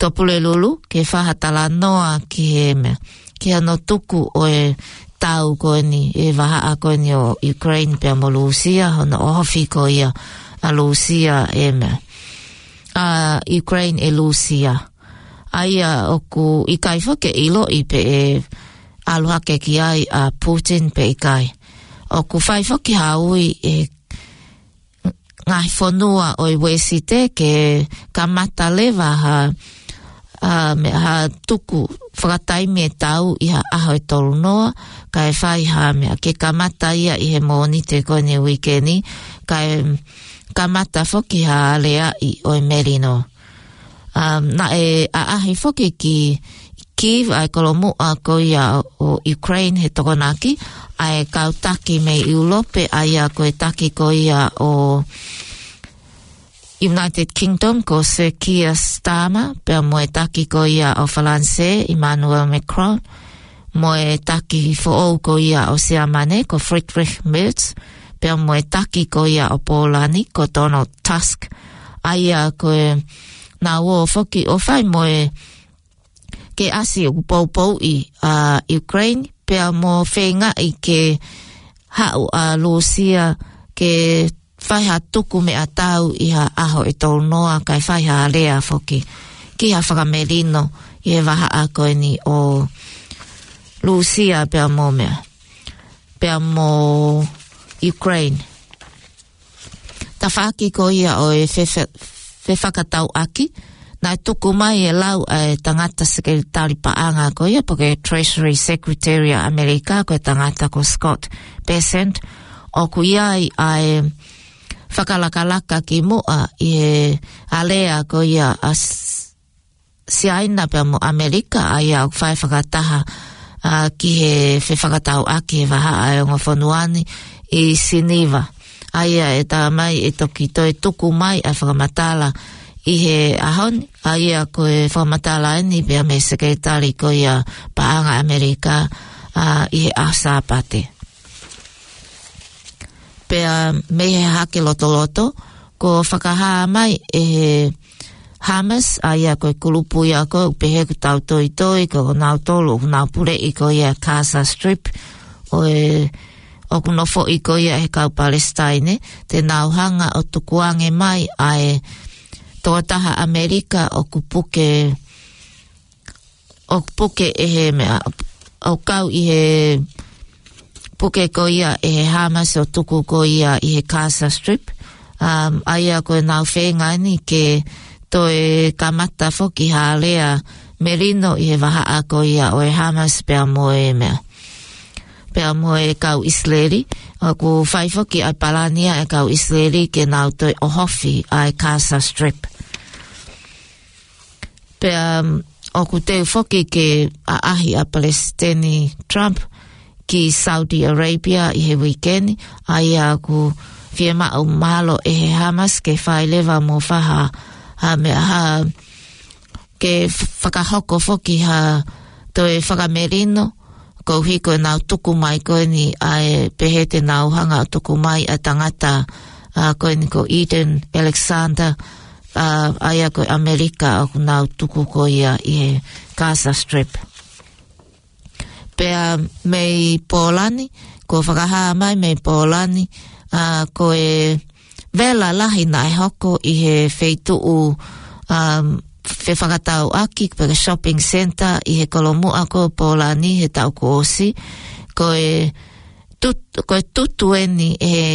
Tupulelulu ke fai ha talanoa ki he meʻa, ki hano tuku ʻo e tau ko eni, e vahaʻa ko eni ʻo Ukraine pea mo Lūsia, hono ʻohofi ko ia ʻa Lūsia e meʻa, ʻa Ukraine ʻe Lūsia. ʻA ia ʻoku ʻikai foki ke ʻiloʻi pe ʻe ʻalu hake ki ai ʻa Putin pe ʻikai. ʻOku fai foki ha ui ʻe ngaahi fonua ʻo e Uēsite ke kamata leva ha, ʻa, meʻa, ha tuku fakataimi e tau ʻi ha ʻaho ʻe tolu noa, kae fai ha meʻa ke kamata ia ʻi he Mōnite ko eni uike ni, kae kamata foki ha aleaʻi ʻo e melino. Um, naʻe ʻaʻahi foki ki Kyiv ʻa e kolomuʻa ko ia ʻo Ukraine he Tokonaki, ʻa e kau taki mei ʻIulope, ʻa ia ko e taki ko ia ʻo United Kingdom ko Sir Keir Starmer, pea mo e taki ko ia ʻo Falanisē, Emmanuel Macron, mo e taki foʻou ko ia ʻo Siamane ko Friedrich Merz, pea mo e taki ko ia ʻo Pōlani ko Donald Tusk. ʻA ia ko e nau ō foki ʻo fai mo e ke ʻasi ʻoku poupouʻi ʻa Ukraine, pea mo feingaʻi ke haʻu ʻa Lūsia ke fai ha tuku meʻatau ʻi ha ʻaho ʻe tolu noa, kae fai ha alea foki ki ha fakamelino ʻi he vahaʻa ko eni ʻo Lūsia pea mo meʻa, pea mo Ukraine. Tafaʻaki ko ia ʻo e fefe-, fefakatauʻaki, naʻe tuku mai e lau ʻa e tangata sekelitali paʻanga ko ia, pe ko e Treasury Secretary ʻa ʻAmelika, ko e tangata ko Scott Bessent, ʻoku ʻi ai ʻa e fakalakalaka ki muʻa ʻi he alea ko ia ʻa S-, Siaina pea mo ʻAmelika, ʻa ia ʻoku fai fakataha, ʻa, ki he fefakatauʻaki he vahaʻa ʻa e ongo fonua ni ʻi Siniva. ʻA ia ʻe tā mai ʻe toki toe tuku mai ʻa e fakamatala ʻi he ʻaho ni, ʻa ia ko e fakamatala eni pea mei he sekelitali ko ia paʻanga ʻAmelika, ʻa, ʻi he ʻaho Sāpate. Pea mei he hake lotoloto, kuo fakahā mai ʻe he Hamas, ʻa ia ko e kulupu ia ko ē ʻoku pehē ʻoku tautoitoi, ko kinautolu ʻoku nau puleʻi ko ia Gaza Strip, ʻo e, ʻoku nofoʻi ko ia ʻe he kau Palesitaine, te nau hanga ʻo tukuange mai ʻa e tokotaha ʻAmelika ʻoku puke ʻoku puke ʻe he meʻa, ʻoku kau ʻi he puke ko ia ʻe he Hamas ʻo tuku ko ia ʻi he Gaza Strip. Um, ʻa ia ko e nau feinga eni ke toe kamata foki ha alea melino ʻi he vahaʻa ko ia ʻo e Hamas pea mo e meʻa, pea mo e kau ʻIsileli. ʻOku fai foki ʻa e palani ʻa e kau ʻIsileli ke nau toe ʻohofi ʻa e Gaza Strip. Pea, um, ʻoku teu foki ke ʻaʻahi ʻa Palesiteni Trump ki Saudi Arabia ʻi he uike ni, ʻa ia ʻoku fiemaʻu mahalo ʻe he Hamas ke fai leva mo fai ha, ha meʻa ha, ke f-, fakahoko foki ha toe fakamelino, koeʻuhi ko ʻenau tuku mai ko eni ʻa e pehē te nau hanga ʻo tuku mai ʻa e tangata, ʻa, ko eni ko Eden Alexander, ʻa, ʻa ia ko e ʻAmelika ʻoku nau tuku ko ia ʻi he Gaza Strip. Pea mei Pōlani, kuo fakahā mai mei Pōlani, ʻa, ko e vela lahi naʻe hoko ʻi he feituʻu, um, fefakatauʻaki pe ko e shopping centre ʻi he kolomuʻa ko Pōlani he taʻu kuo ʻosi, ko e tut-, ko e tutu eni ʻe he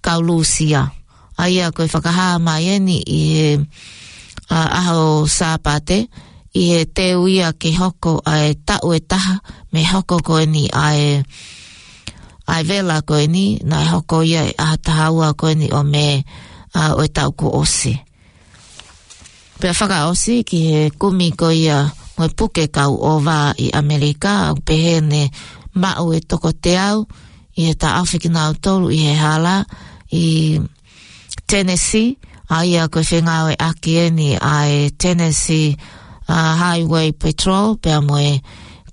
kau Lūsia. ʻA ia ko e fakahā mai eni ʻi he, ʻa, ʻaho Sāpate, ʻi he teu ia ke hoko ʻa e taʻu ʻe taha mei he hoko ko eni ʻa e, ʻa e vela ko eni, naʻe hoko ia ʻi he ʻaho taha ua ko eni ʻo Mē, ʻa, ʻo e taʻu kuo ʻosi. Pea fakaʻosi ki he kumi ko ia mo e puke kau ʻova ʻi ʻAmelika, ʻoku pehē ne maʻu ʻe toko teau ʻi he taʻofi kinautolu ʻi he hala ʻi Tennessee, ʻA ia ko e fengāueʻaki eni ʻa e Tennessee, ʻa, Highway Patrol, pea mo e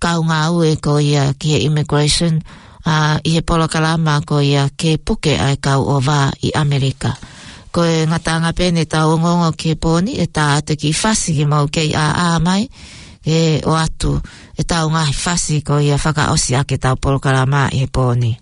kau ngāue ko ia ki he immigration, ʻa, ʻi he polokalama ko ia ke puke ʻa e kau ʻova ʻi ʻAmelika. Ko e ngataʻanga pē eni ʻetau ongoongo ki he pō ni, ʻe tā atu e kiʻi fasi ke mou kei ʻāʻā mai, ke ʻoatu ʻetau ngaahi fasi ko ia fakaʻosi ʻaki ʻetau polokalama ʻi he pō ni.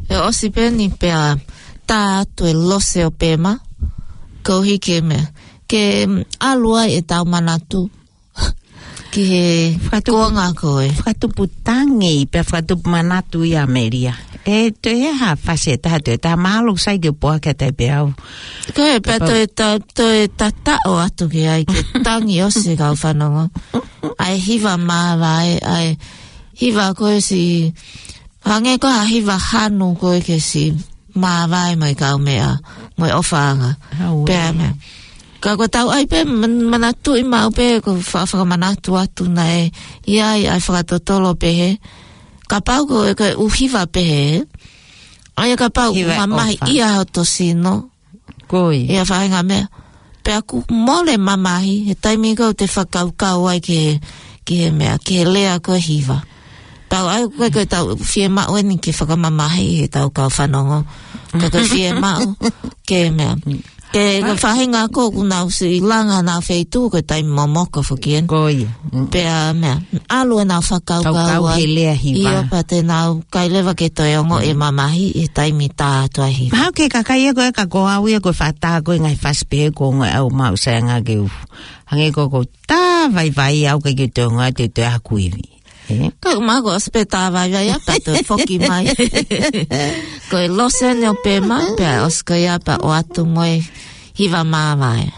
ʻE ʻosi pē eni pea tā atu e lose ʻo Pema, koeʻuhi ke meʻa, ke, mm, ʻalu ai ʻetau manatu ki he Fakatupu-, kuonga ko ē. Fakatupu tangi, pea fakatupu manatu ʻi ʻAmelika. ʻE toe ha fasi ʻe taha, toe taha, mālō sai ke poa ke tai pē au. Ko e pea Pea toe ta-, toe tataʻo atu ki ai ke tangi ʻosi e kau fanongo. ʻA e hiva māvae, ʻa e hiva ko ē siʻi, hangē ko ha hiva hanu ko ē ke siʻi māvae mo e kaumeʻa, mo e ʻofaʻanga. Hau ē. Pea meʻa. Ka ko e tau ʻai pē man-, manatuʻi maʻu pē ko e fa-, fakamanatu atu naʻe ʻi ai ʻa e fakatotolo pehē. Kapau ko e, ko e ʻū hiva pehē. ʻA ia kapau Hiva mamahi ʻofa. ʻIa hoto sino. Ko ia. ʻIa faʻahinga meʻa. Pea ʻoku mole mamahi, he taimi ko ē te fakakaukau ai ki he, ki he meʻa, ki he lea ko e hiva. Tau ʻai ko e, ko e tau fiemaʻu eni ke fakamamahi he tau kau fanongo. Ka ko e fiemaʻu, ke meʻa. Ke, ko e faʻahinga ko ē ʻoku nau siʻi langa ʻenau feituʻu ko e taimi momoko foki eni. Ko ia. Mm. Pea meʻa, ʻalu ʻenau fakakaukau Kaukau ai. he lea hiva. ʻIo pea te nau kai leva ke toe ongoʻi e mamahi he taimi tā atu ai hiva. Mahalo ko e kakai ia ko ē ka ko au ia ko e fata ko e ngaahi fasi pē ko e ngaahi au mau sai anga ke u. Hangē ko ko tā vaivai au ke ke toe ngā te toe aku ivi. Ē? Ka ʻoku mahalo ʻosi pē tā vaivai ʻa pea toe foki mai. Ko e lose eni ʻo Pema, pea ʻosi ko ia pea ʻoatu mo e hiva māvae.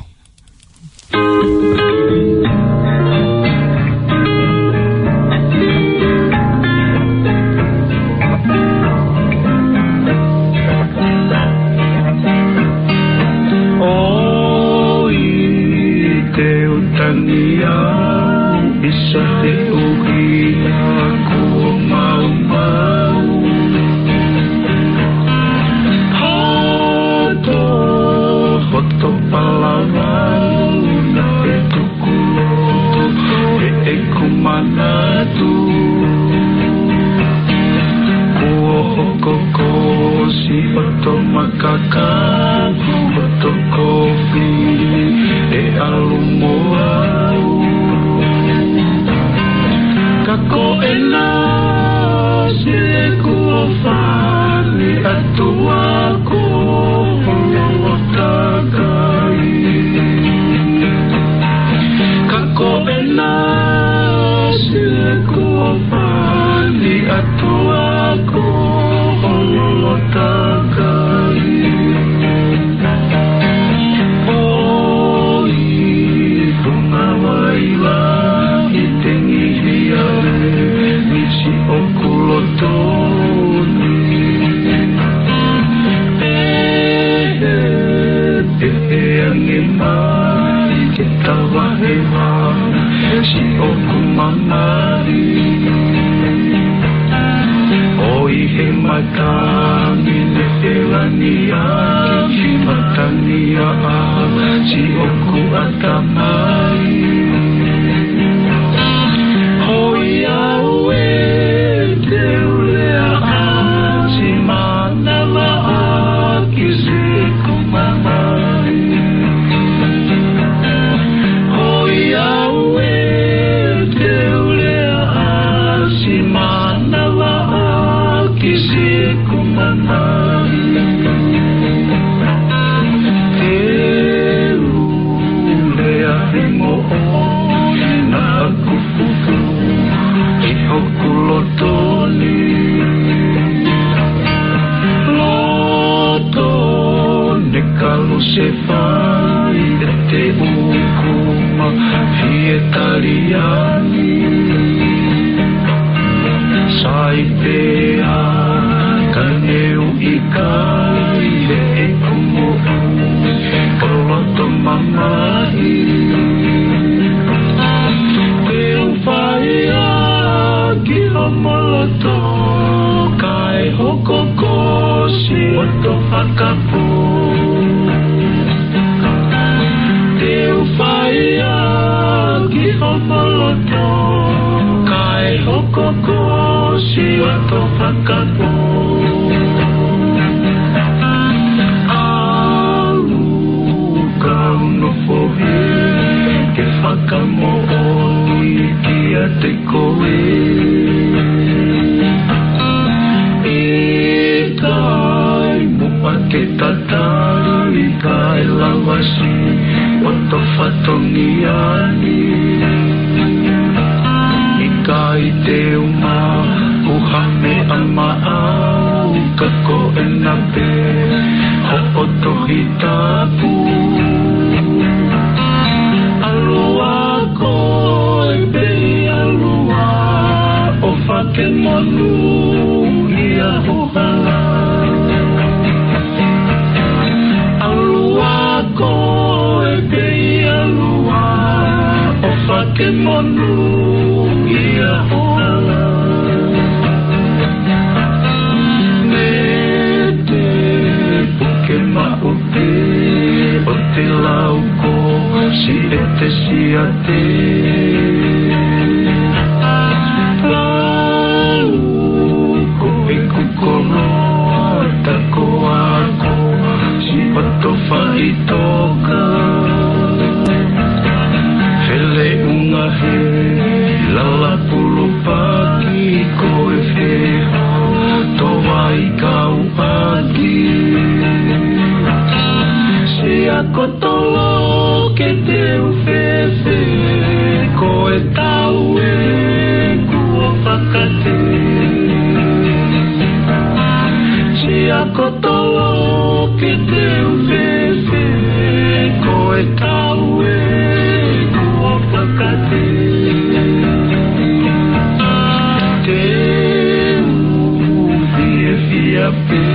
Te u tangi au ʻi he ʻuhinga kuo maumau. Hoto, hoto palavau naʻe tuku loto heʻeku manatu. Kuo hoko ko siʻoto makaka, hoto kofi ʻe ʻalu mo au. Ka ko ena se kuo fani atu ako holo takai. Ka ko ena se kuo fani atu ako holo takai. ʻOi, ko e ngāue lahi te ngihi ai, misi ʻoku loto ni. Pehē, pehē ange mai ke tavahe vā siʻoku mamahi. ʻOi he matangi ne felani ʻaki, matangi ʻa siʻoku ʻatamai. Hoi au ē te u lea ʻa si manava ʻaki siʻoku mamahi. Hoi au ē te u lea ʻa si manava ʻaki siʻoku mamahi. Te u lea he moʻoni naʻa ku fufu ʻi hoku loto ni. Loto ne kalu se fai ʻe te uku ma fie taliani. Sai pea ka ne u ʻikai heʻeku moʻui ʻo loto mamahi. Te u fai ʻaki homo loto kae hoko ko siʻoto fakapō. Te u fai ʻaki homo loto kae hoko ko siʻoto fakapō. ʻAlu kau nofo hē ke fakamoʻoni kiate koe. ʻIkai muʻa ke tatali kae lava siʻoto fatongia ni. ʻIkai te u maʻu ha meʻa maʻau ka ko ena pē hoʻo Tohi Tapu. ʻAlu ā koe pē ʻalu ā ʻo fakamonūʻia ho hala. ʻAlu ā koe pē ʻalu ā ʻo fakamonūʻia ho hala. Mei te puke maʻu pē ʻo te lau ko siʻete siate. Lau ko ʻeku koloa ta ko ako siʻoto faʻitoka. Feleʻunga he lala pulupaki ko e feha to vai kau ʻaki. Siʻa ko tolo ke te u fēfē ko e tau ē kuo fakate. Siʻa ko tolo ke te u fēfē ko e tau ē kuo fakate. Te u fiefia pē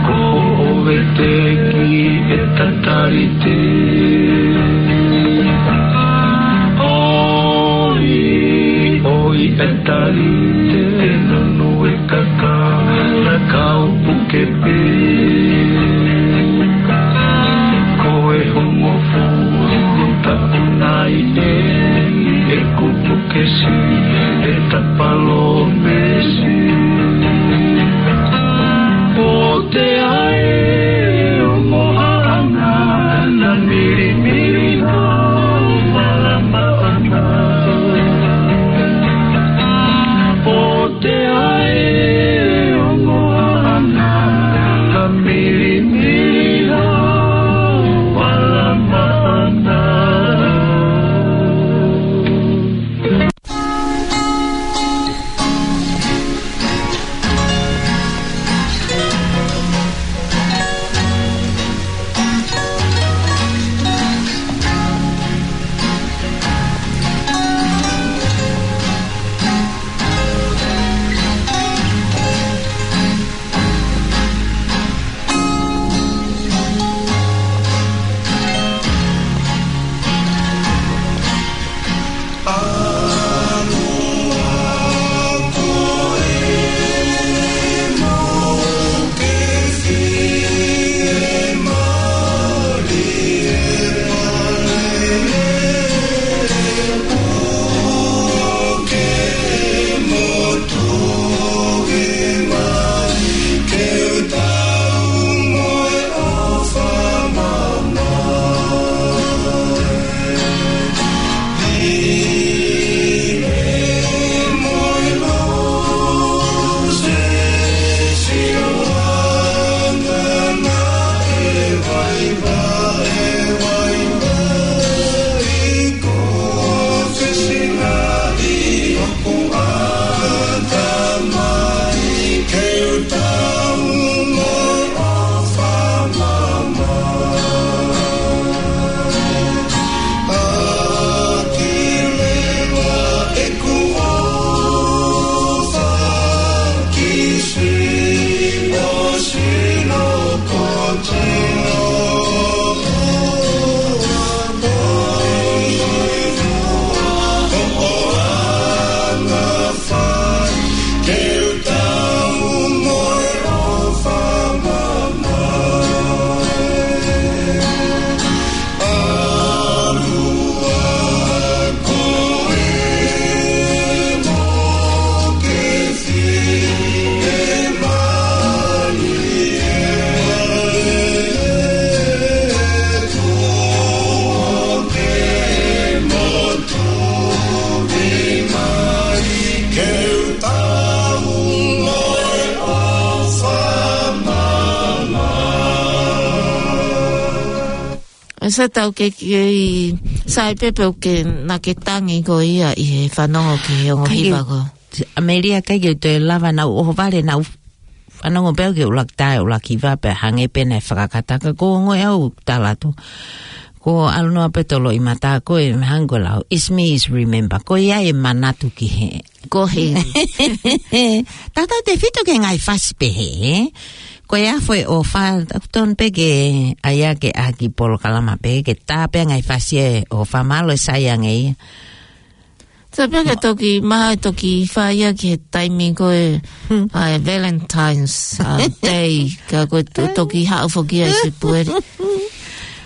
ko ʻoe te ki e tatalite. Te nunu e kaka, na kau puke pē. Ko e hongofulu taʻu nai ē, ʻeku puke si, e tapalo mesi. Pote ai, ongo haʻana, na milimili hau, malama ʻana. Pote ai, ongo haʻana, na milimili hau, malama ʻana. ʻE sa tau ke, ke i sai pē pē ʻoku ke na ke tangi ko ia ʻi he fanongo ki he ongo hiva ko. ʻAmelika ʻikai ke u toe lava naʻa ku ʻohovale naʻa ku fanongo pē au ki he ʻuluaki tae, ʻuluaki hiva pea hangē pē naʻe fakakata ka ko e ongo ʻe au talato. Ko ʻAlunoa pē tolo i mata ko e meʻa hangē ko e lau. Is me is remember. Ko ia e manatu ki he. Ko he. Tatau te fito ke ngaahi fasi pehē, ē? Ko e afo e ʻofa, ʻoku tonu pē ke ʻai ake ʻaki polokalama pē, ke tā pē ngaahi fasi e ʻofa mālō e sai ange ia. Sa pea ke toki, maha e toki fai ia ki he taimi ko e, hmm, ʻa e Valentine's, ʻa, Day, ka ko e to-, toki haʻu foki ai se pueri.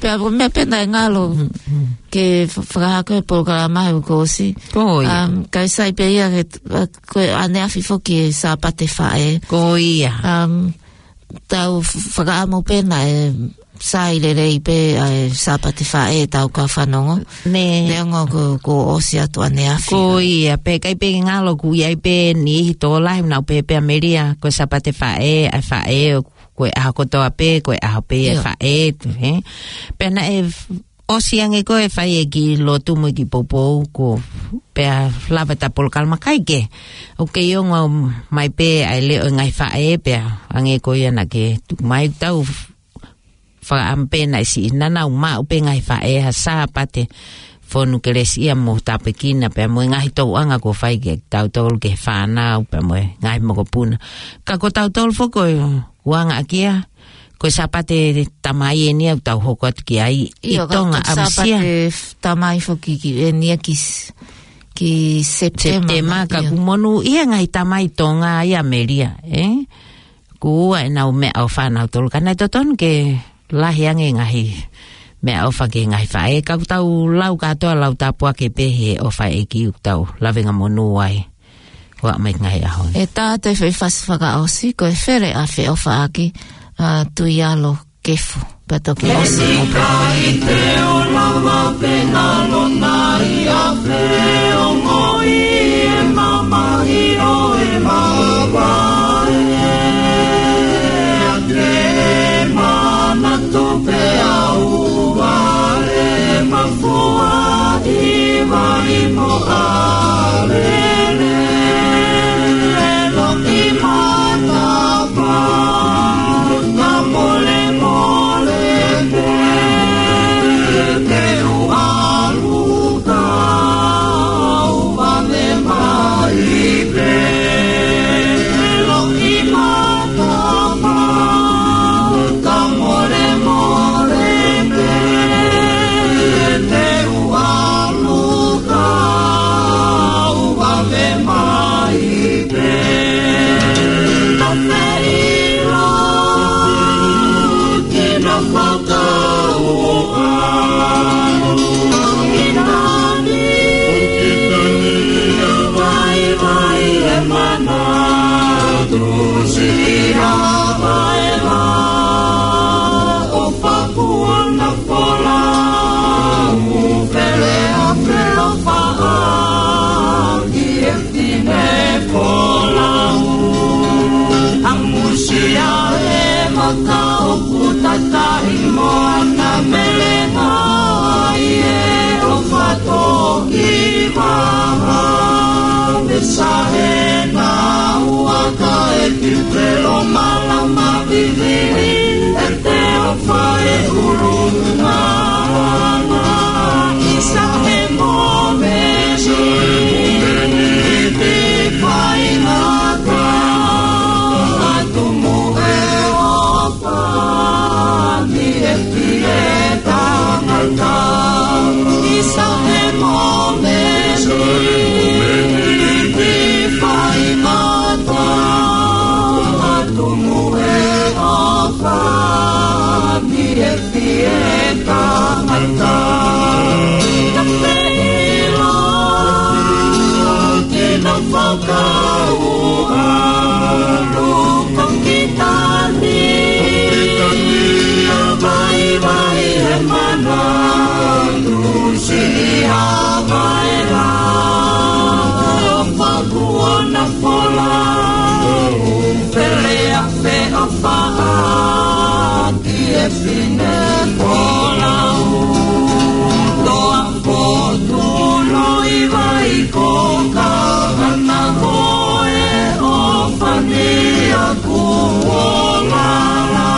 Pea ko e meʻa pē naʻe ngalo, hmm, hmm, ke f-, fakahako e polokalama he kuo ʻosi. Ko ia. Um, ka ʻe sai pē ia ke, uh, ko e ʻaneafi foki e Sāpate Faʻē. Ko ia. Um, tau f-, fakaʻamu pē naʻe sai lelei pē ʻa e Sāpate Faʻē tau kau fanongo. Nē. Neongo ko, kuo ʻosi atu ʻaneafi. Ko ia, pea ʻikai pē ngalo kuo ʻi ai pē niʻihi tokolahi naʻa nau pehē pē ʻAmelika, ko e Sāpate Faʻē, ʻa e faʻē, ʻo ko e ʻaho kotoa pē, ko e ʻaho pē e, ʻio, faʻē, tu, he? Pea naʻe f-, ʻosi ange ko e fai e kiʻi lotu mo e kiʻi poupou ko, pea lava ʻeta polokalama kae kehe. ʻOku kei ongo mai pē ʻa e leʻo e ngaahi faʻē, pea hangē ko ia naʻa ke tuku mai, tau f-, fakaʻamu pē naʻe siʻi naʻa nau maʻu pē ngaahi faʻē ha Sāpate fonu kelesiʻia mo tāpuekina pea mo e ngaahi tauʻanga kuo fai ke tautolu ke fānau pea mo e ngaahi mokopuna. Ka ko tautolu foki ʻoku anga ʻaki ia, ko e Sāpate Tamai eni ʻoku tau hoko atu ki ai ʻi, ʻio, ka Tonga, ko e ʻamusia. Sāpate f-, Tamai foki ki eni ia ki s-, ki Sepitema, Sepitema, ka ʻio. Kuo monūʻia e ngaahi tamai Tonga ʻi ʻAmelika, ē? Kuo ʻi ai ʻenau meʻaʻofa ʻanautolu, ka naʻe totonu ke lahi ange e ngaahi meʻaʻofa ki he ngaahi faʻē, ka ʻoku tau lau kātoa lau tāpuaki pē he ʻofa ʻa e ʻEiki ʻoku tau lavengamonū ai. Ua mai ki he ngaahi ʻaho ni. ʻE tā atu e foʻi fasi fakaʻosi, ko e Fele ʻa Feʻofaʻaki, ʻa Tuialo Kefu, pea toki ʻosi mo Pea. Kai te o lava pē ngalo nai a Feʻongoʻi e mamahi ʻo e mavae. Ke manatu pē au vale mafua ʻi vai mo ʻalele. Loki matapa, ka mole mole pē, te u ʻalu ka u vale mai pē. Loki matapa, ka mole mole pē, te u ʻalu ka u vale mai pē. Ka feila ki na fakauʻa. Ki nani, ki nani, vaivai e mana, tusi a vaela, ʻo fakua na folau, Fele ʻa Feʻofaʻaki e fine folau. ʻAmusia e maka ʻoku tataʻi mo ana melenga, ʻi he ʻofa toki vaha. Misa he na ua ka e ki pelo malama vivili, ʻe te ʻofa e ulu ngā. Isa he momesi, te faingata, atu mo e ʻofa, ni e fie tangata. Isa he momesi, te faingata, atu mo e ʻofa, ni e fie tangata. Ka feila ki na fakauʻa, luka ki tani, vaivai e mana, tusi a vaela, ʻo fakua na folau, Fele ʻa Feʻofaʻaki e fine folau. Toa fotu loi vai ko ka ana ko e ʻofa ni aku o lala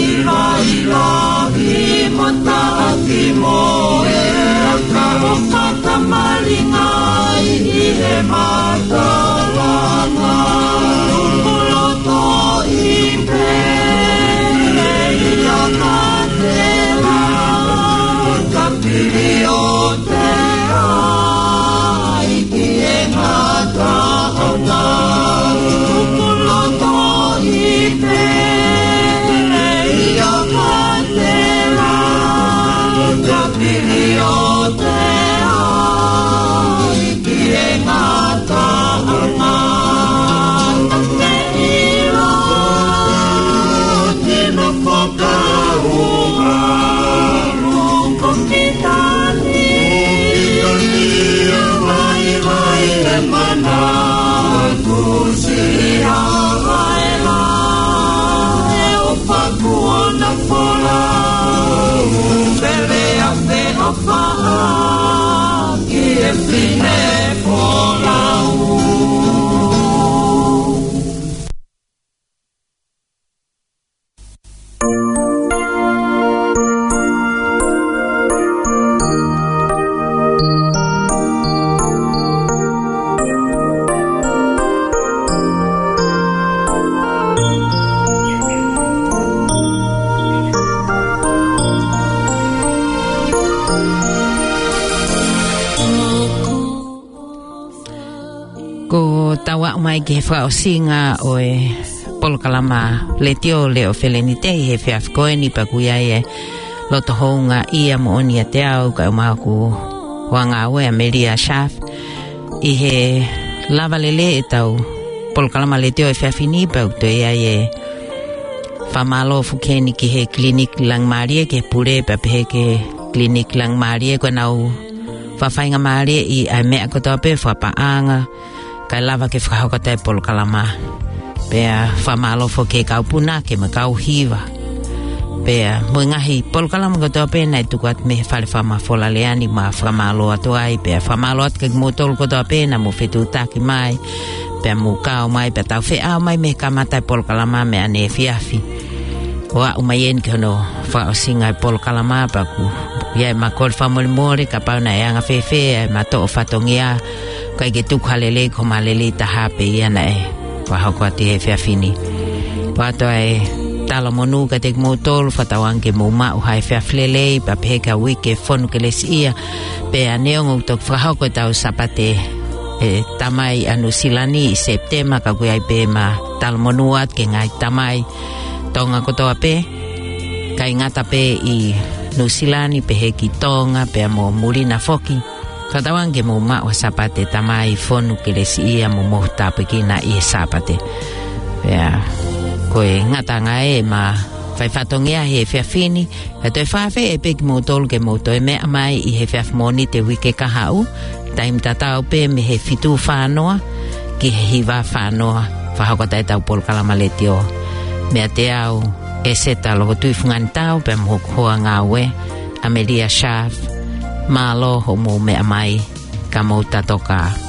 i vai lahi mataʻaki mo e aka ʻo fakamalinga ai ʻi he matalanga. Tuku loto i pē ia ka tela, ka pili o te ai ki he ngataʻanga. Tuku loto i pē ia ka tela, ka pili o te ai ki he ngataʻanga. Ka feila ki na fakauʻa, luka ki tani, vaivai e mana, tusi a vaela, ʻo fakua na folau, Fele ʻa Feʻofaʻaki e fine folau. Ko ʻetau aʻu mai ki he fakaʻosinga ʻo e polokalama letiō Leʻo Felenite ʻi he efiafi ko eni, pea ʻoku ʻi ai e loto houngaʻia moʻoni ʻiate au, kae ʻumaʻā hoku hoa ngāue ʻa Melia Sharp, ʻi he lava lelei ʻetau polokalama letiō he efiafi ni, pea ʻoku toe ʻi ai e fakamālō foki eni ki he Kiliniki Langimālie, ki he pule pea pehē ki he Kiliniki Langimālie, ko ʻenau fakafaingamālieʻi ʻa e meʻa kotoa pē, fakapaʻanga, kae lava ke fakahoko atu e polokalama. Pea fakamālō foki ki he kau punake mo e kau hiva, pea mo e ngaahi polokalama kotoa pē naʻe tuku atu mei he Fale Fakamafola Lea ni, mau fakamālō atu ai, pea fakamālō atu kiate kimoutolu kotoa pē naʻa mou fetuʻutaki mai, pea mou kau mai, pea tau feʻao mai mei he kamata e polokalama mei ʻaneefiafi ʻo aʻu mai eni ki hono fakaʻosinga e polokalama, pea ʻoku ʻi ai ʻema kole fakamolemole kapau naʻe anga fēfē ʻema toʻo fatongia, ʻikai ke tuku ha lelei, ko ʻema lelei taha pē ia naʻe fakahoko atu he efiafi ni. Pea ʻoatu ʻa e talamonū kiate kimoutolu, fakatauange ke mou maʻu ha efiafi lelei, pea pehē ki he uike fonu kelesiʻia, pea neongo ʻoku toki fakahoko ʻetau Sāpate ʻa e Tamai ʻa Nuʻusila ni ʻi Sepitema, ka ʻoku ʻi ai pē ʻema talamonū atu ki he ngaahi tamai Tonga kotoa pē, ʻikai ngata pē ʻi Nuʻusila ni, pehē ki Tonga pea mo muli na foki. Fakatauange ke mou maʻu ha Sāpate Tamai fonu kelesiʻia mo mohu tāpuekina ʻi he Sāpate. Pea ko e ngataʻanga ē ʻema fai fatongia he efiafi ni, pea toe fakaafeʻi pē kimoutolu ke mou toe meʻa mai ʻi he efiafi Mōnite uike kahaʻu, taimi tatau pē mei he fitu fā noa ki he hiva fā noa, fakahoko atu ʻetau polokalama letiō. Meiate au, ʻEseta Lokotui Funganitau, pea mo hoku hoa ngāue ʻa Melia Sharp, mālō hoʻomou meʻa mai, ka mou tatokā.